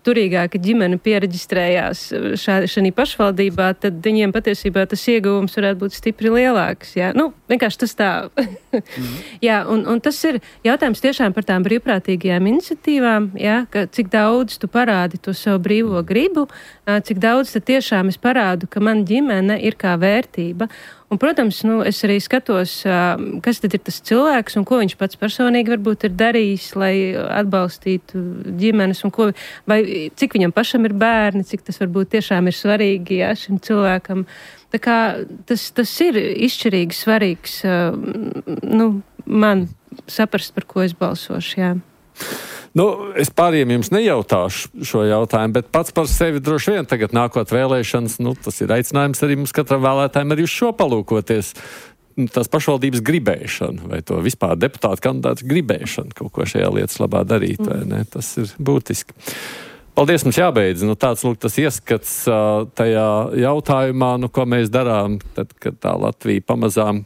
turīgāka ģimene piereģistrējās šajā pašvaldībā, tad viņiem patiesībā tas ieguvums varētu būt stipri lielāks. Jā? Vienkārši tas tā. Jā, un tas ir jautājums tiešām par tām brīvprātīgajām iniciatīvām, jā, ka cik daudz tu parādi to savu brīvo gribu, cik daudz tad tiešām es parādu, ka man ģimene ir kā vērtība. Un, protams, es arī skatos, kas tad ir tas cilvēks un ko viņš pats personīgi varbūt ir darījis, lai atbalstītu ģimenes un vai cik viņam pašam ir bērni, cik tas varbūt tiešām ir svarīgi šim cilvēkam. Tā kā tas ir izšķirīgi svarīgs, man saprast, par ko es balsošu, jā. Es pāriem jums nejautāšu šo jautājumu, bet pats par sevi droši vien tagad nākot vēlēšanas, tas ir aicinājums arī mums katram vēlētājiem arī uz šo palūkoties. Tās pašvaldības gribēšana, vai to vispār deputātu kandidātu gribēšana kaut ko šajā lietas labā darīt, vai ne? Tas ir būtiski. Paldies, mums jābeidz. Tāds tas ieskats tajā jautājumā, ko mēs darām, tad, kad tā Latvija pamazām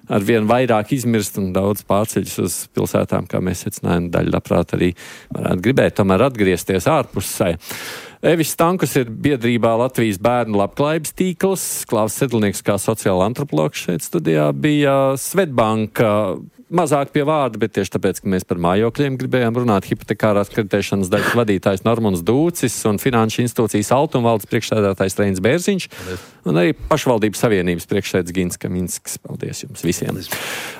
ar vien vairāk izmirst un daudz pārceļas uz pilsētām, kā mēs secinājām, daļa labprāt arī varētu gribēt tomēr atgriezties ārpusē. Evis Stankus ir biedrībā Latvijas bērnu labklājības tīkls, Klaus Sedlnieks kā sociāla antropologs šeit studijā bija, Svetbanka mazāk pie vārda, bet tieši tāpēc, ka mēs par mājokļiem gribējām runāt, hipotekārās kreditēšanas daļas vadītājs Normunds Dūcis un Finanšu institūcijas Altumvaldes priekšsēdētājs Reinis Bērziņš un arī pašvaldības savienības priekšsēdētājs Gins Kaminsks. Paldies jums visiem.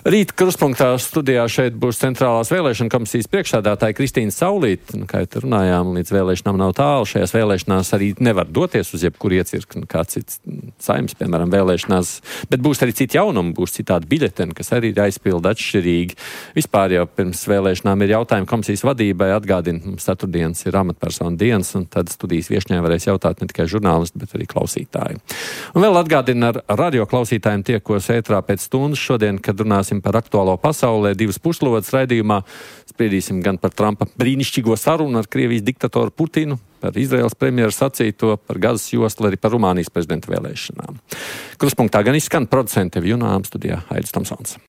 Rīt Krustpunktā studijā šeit būs Centrālās vēlēšana komisijas priekšsēdētāja Kristīna Saulīte. Kā jau runājām, līdz vēlēšanām nav tālu. Šajās vēlēšanās arī nevar doties uz jebkuru iecirkni, kā cits saimnes, piemēram, vēlēšanās, bet būs arī citi jaunumi, būs citādi biļeteni, kas arī ir aizpilda atšķirīgi. Vispār jau pirms vēlēšanām ir jautājumi komisijas vadībai, atgādina, mums ceturtdienas ir amatpersonu dienas, un tad studijas viešņai varēs jautāt ne tikai žurnālisti, bet arī klausītāji. Un vēl atgādina ar radio klausītājiem tiekos ētrā pēc stundas šodien, kad runāsim par aktuālo pasaulē 2 puslodes raidījumā. Spriedīsim gan par Trumpa brīnišķīgo sarunu ar Krievijas diktatoru Putinu, par Izraēlas premjeru sacīto, par Gazas joslu, arī par Rumānijas prezidenta vēlēšanām. Kruspunktā gan izskan producente Junām studijā Aidis Tomsons.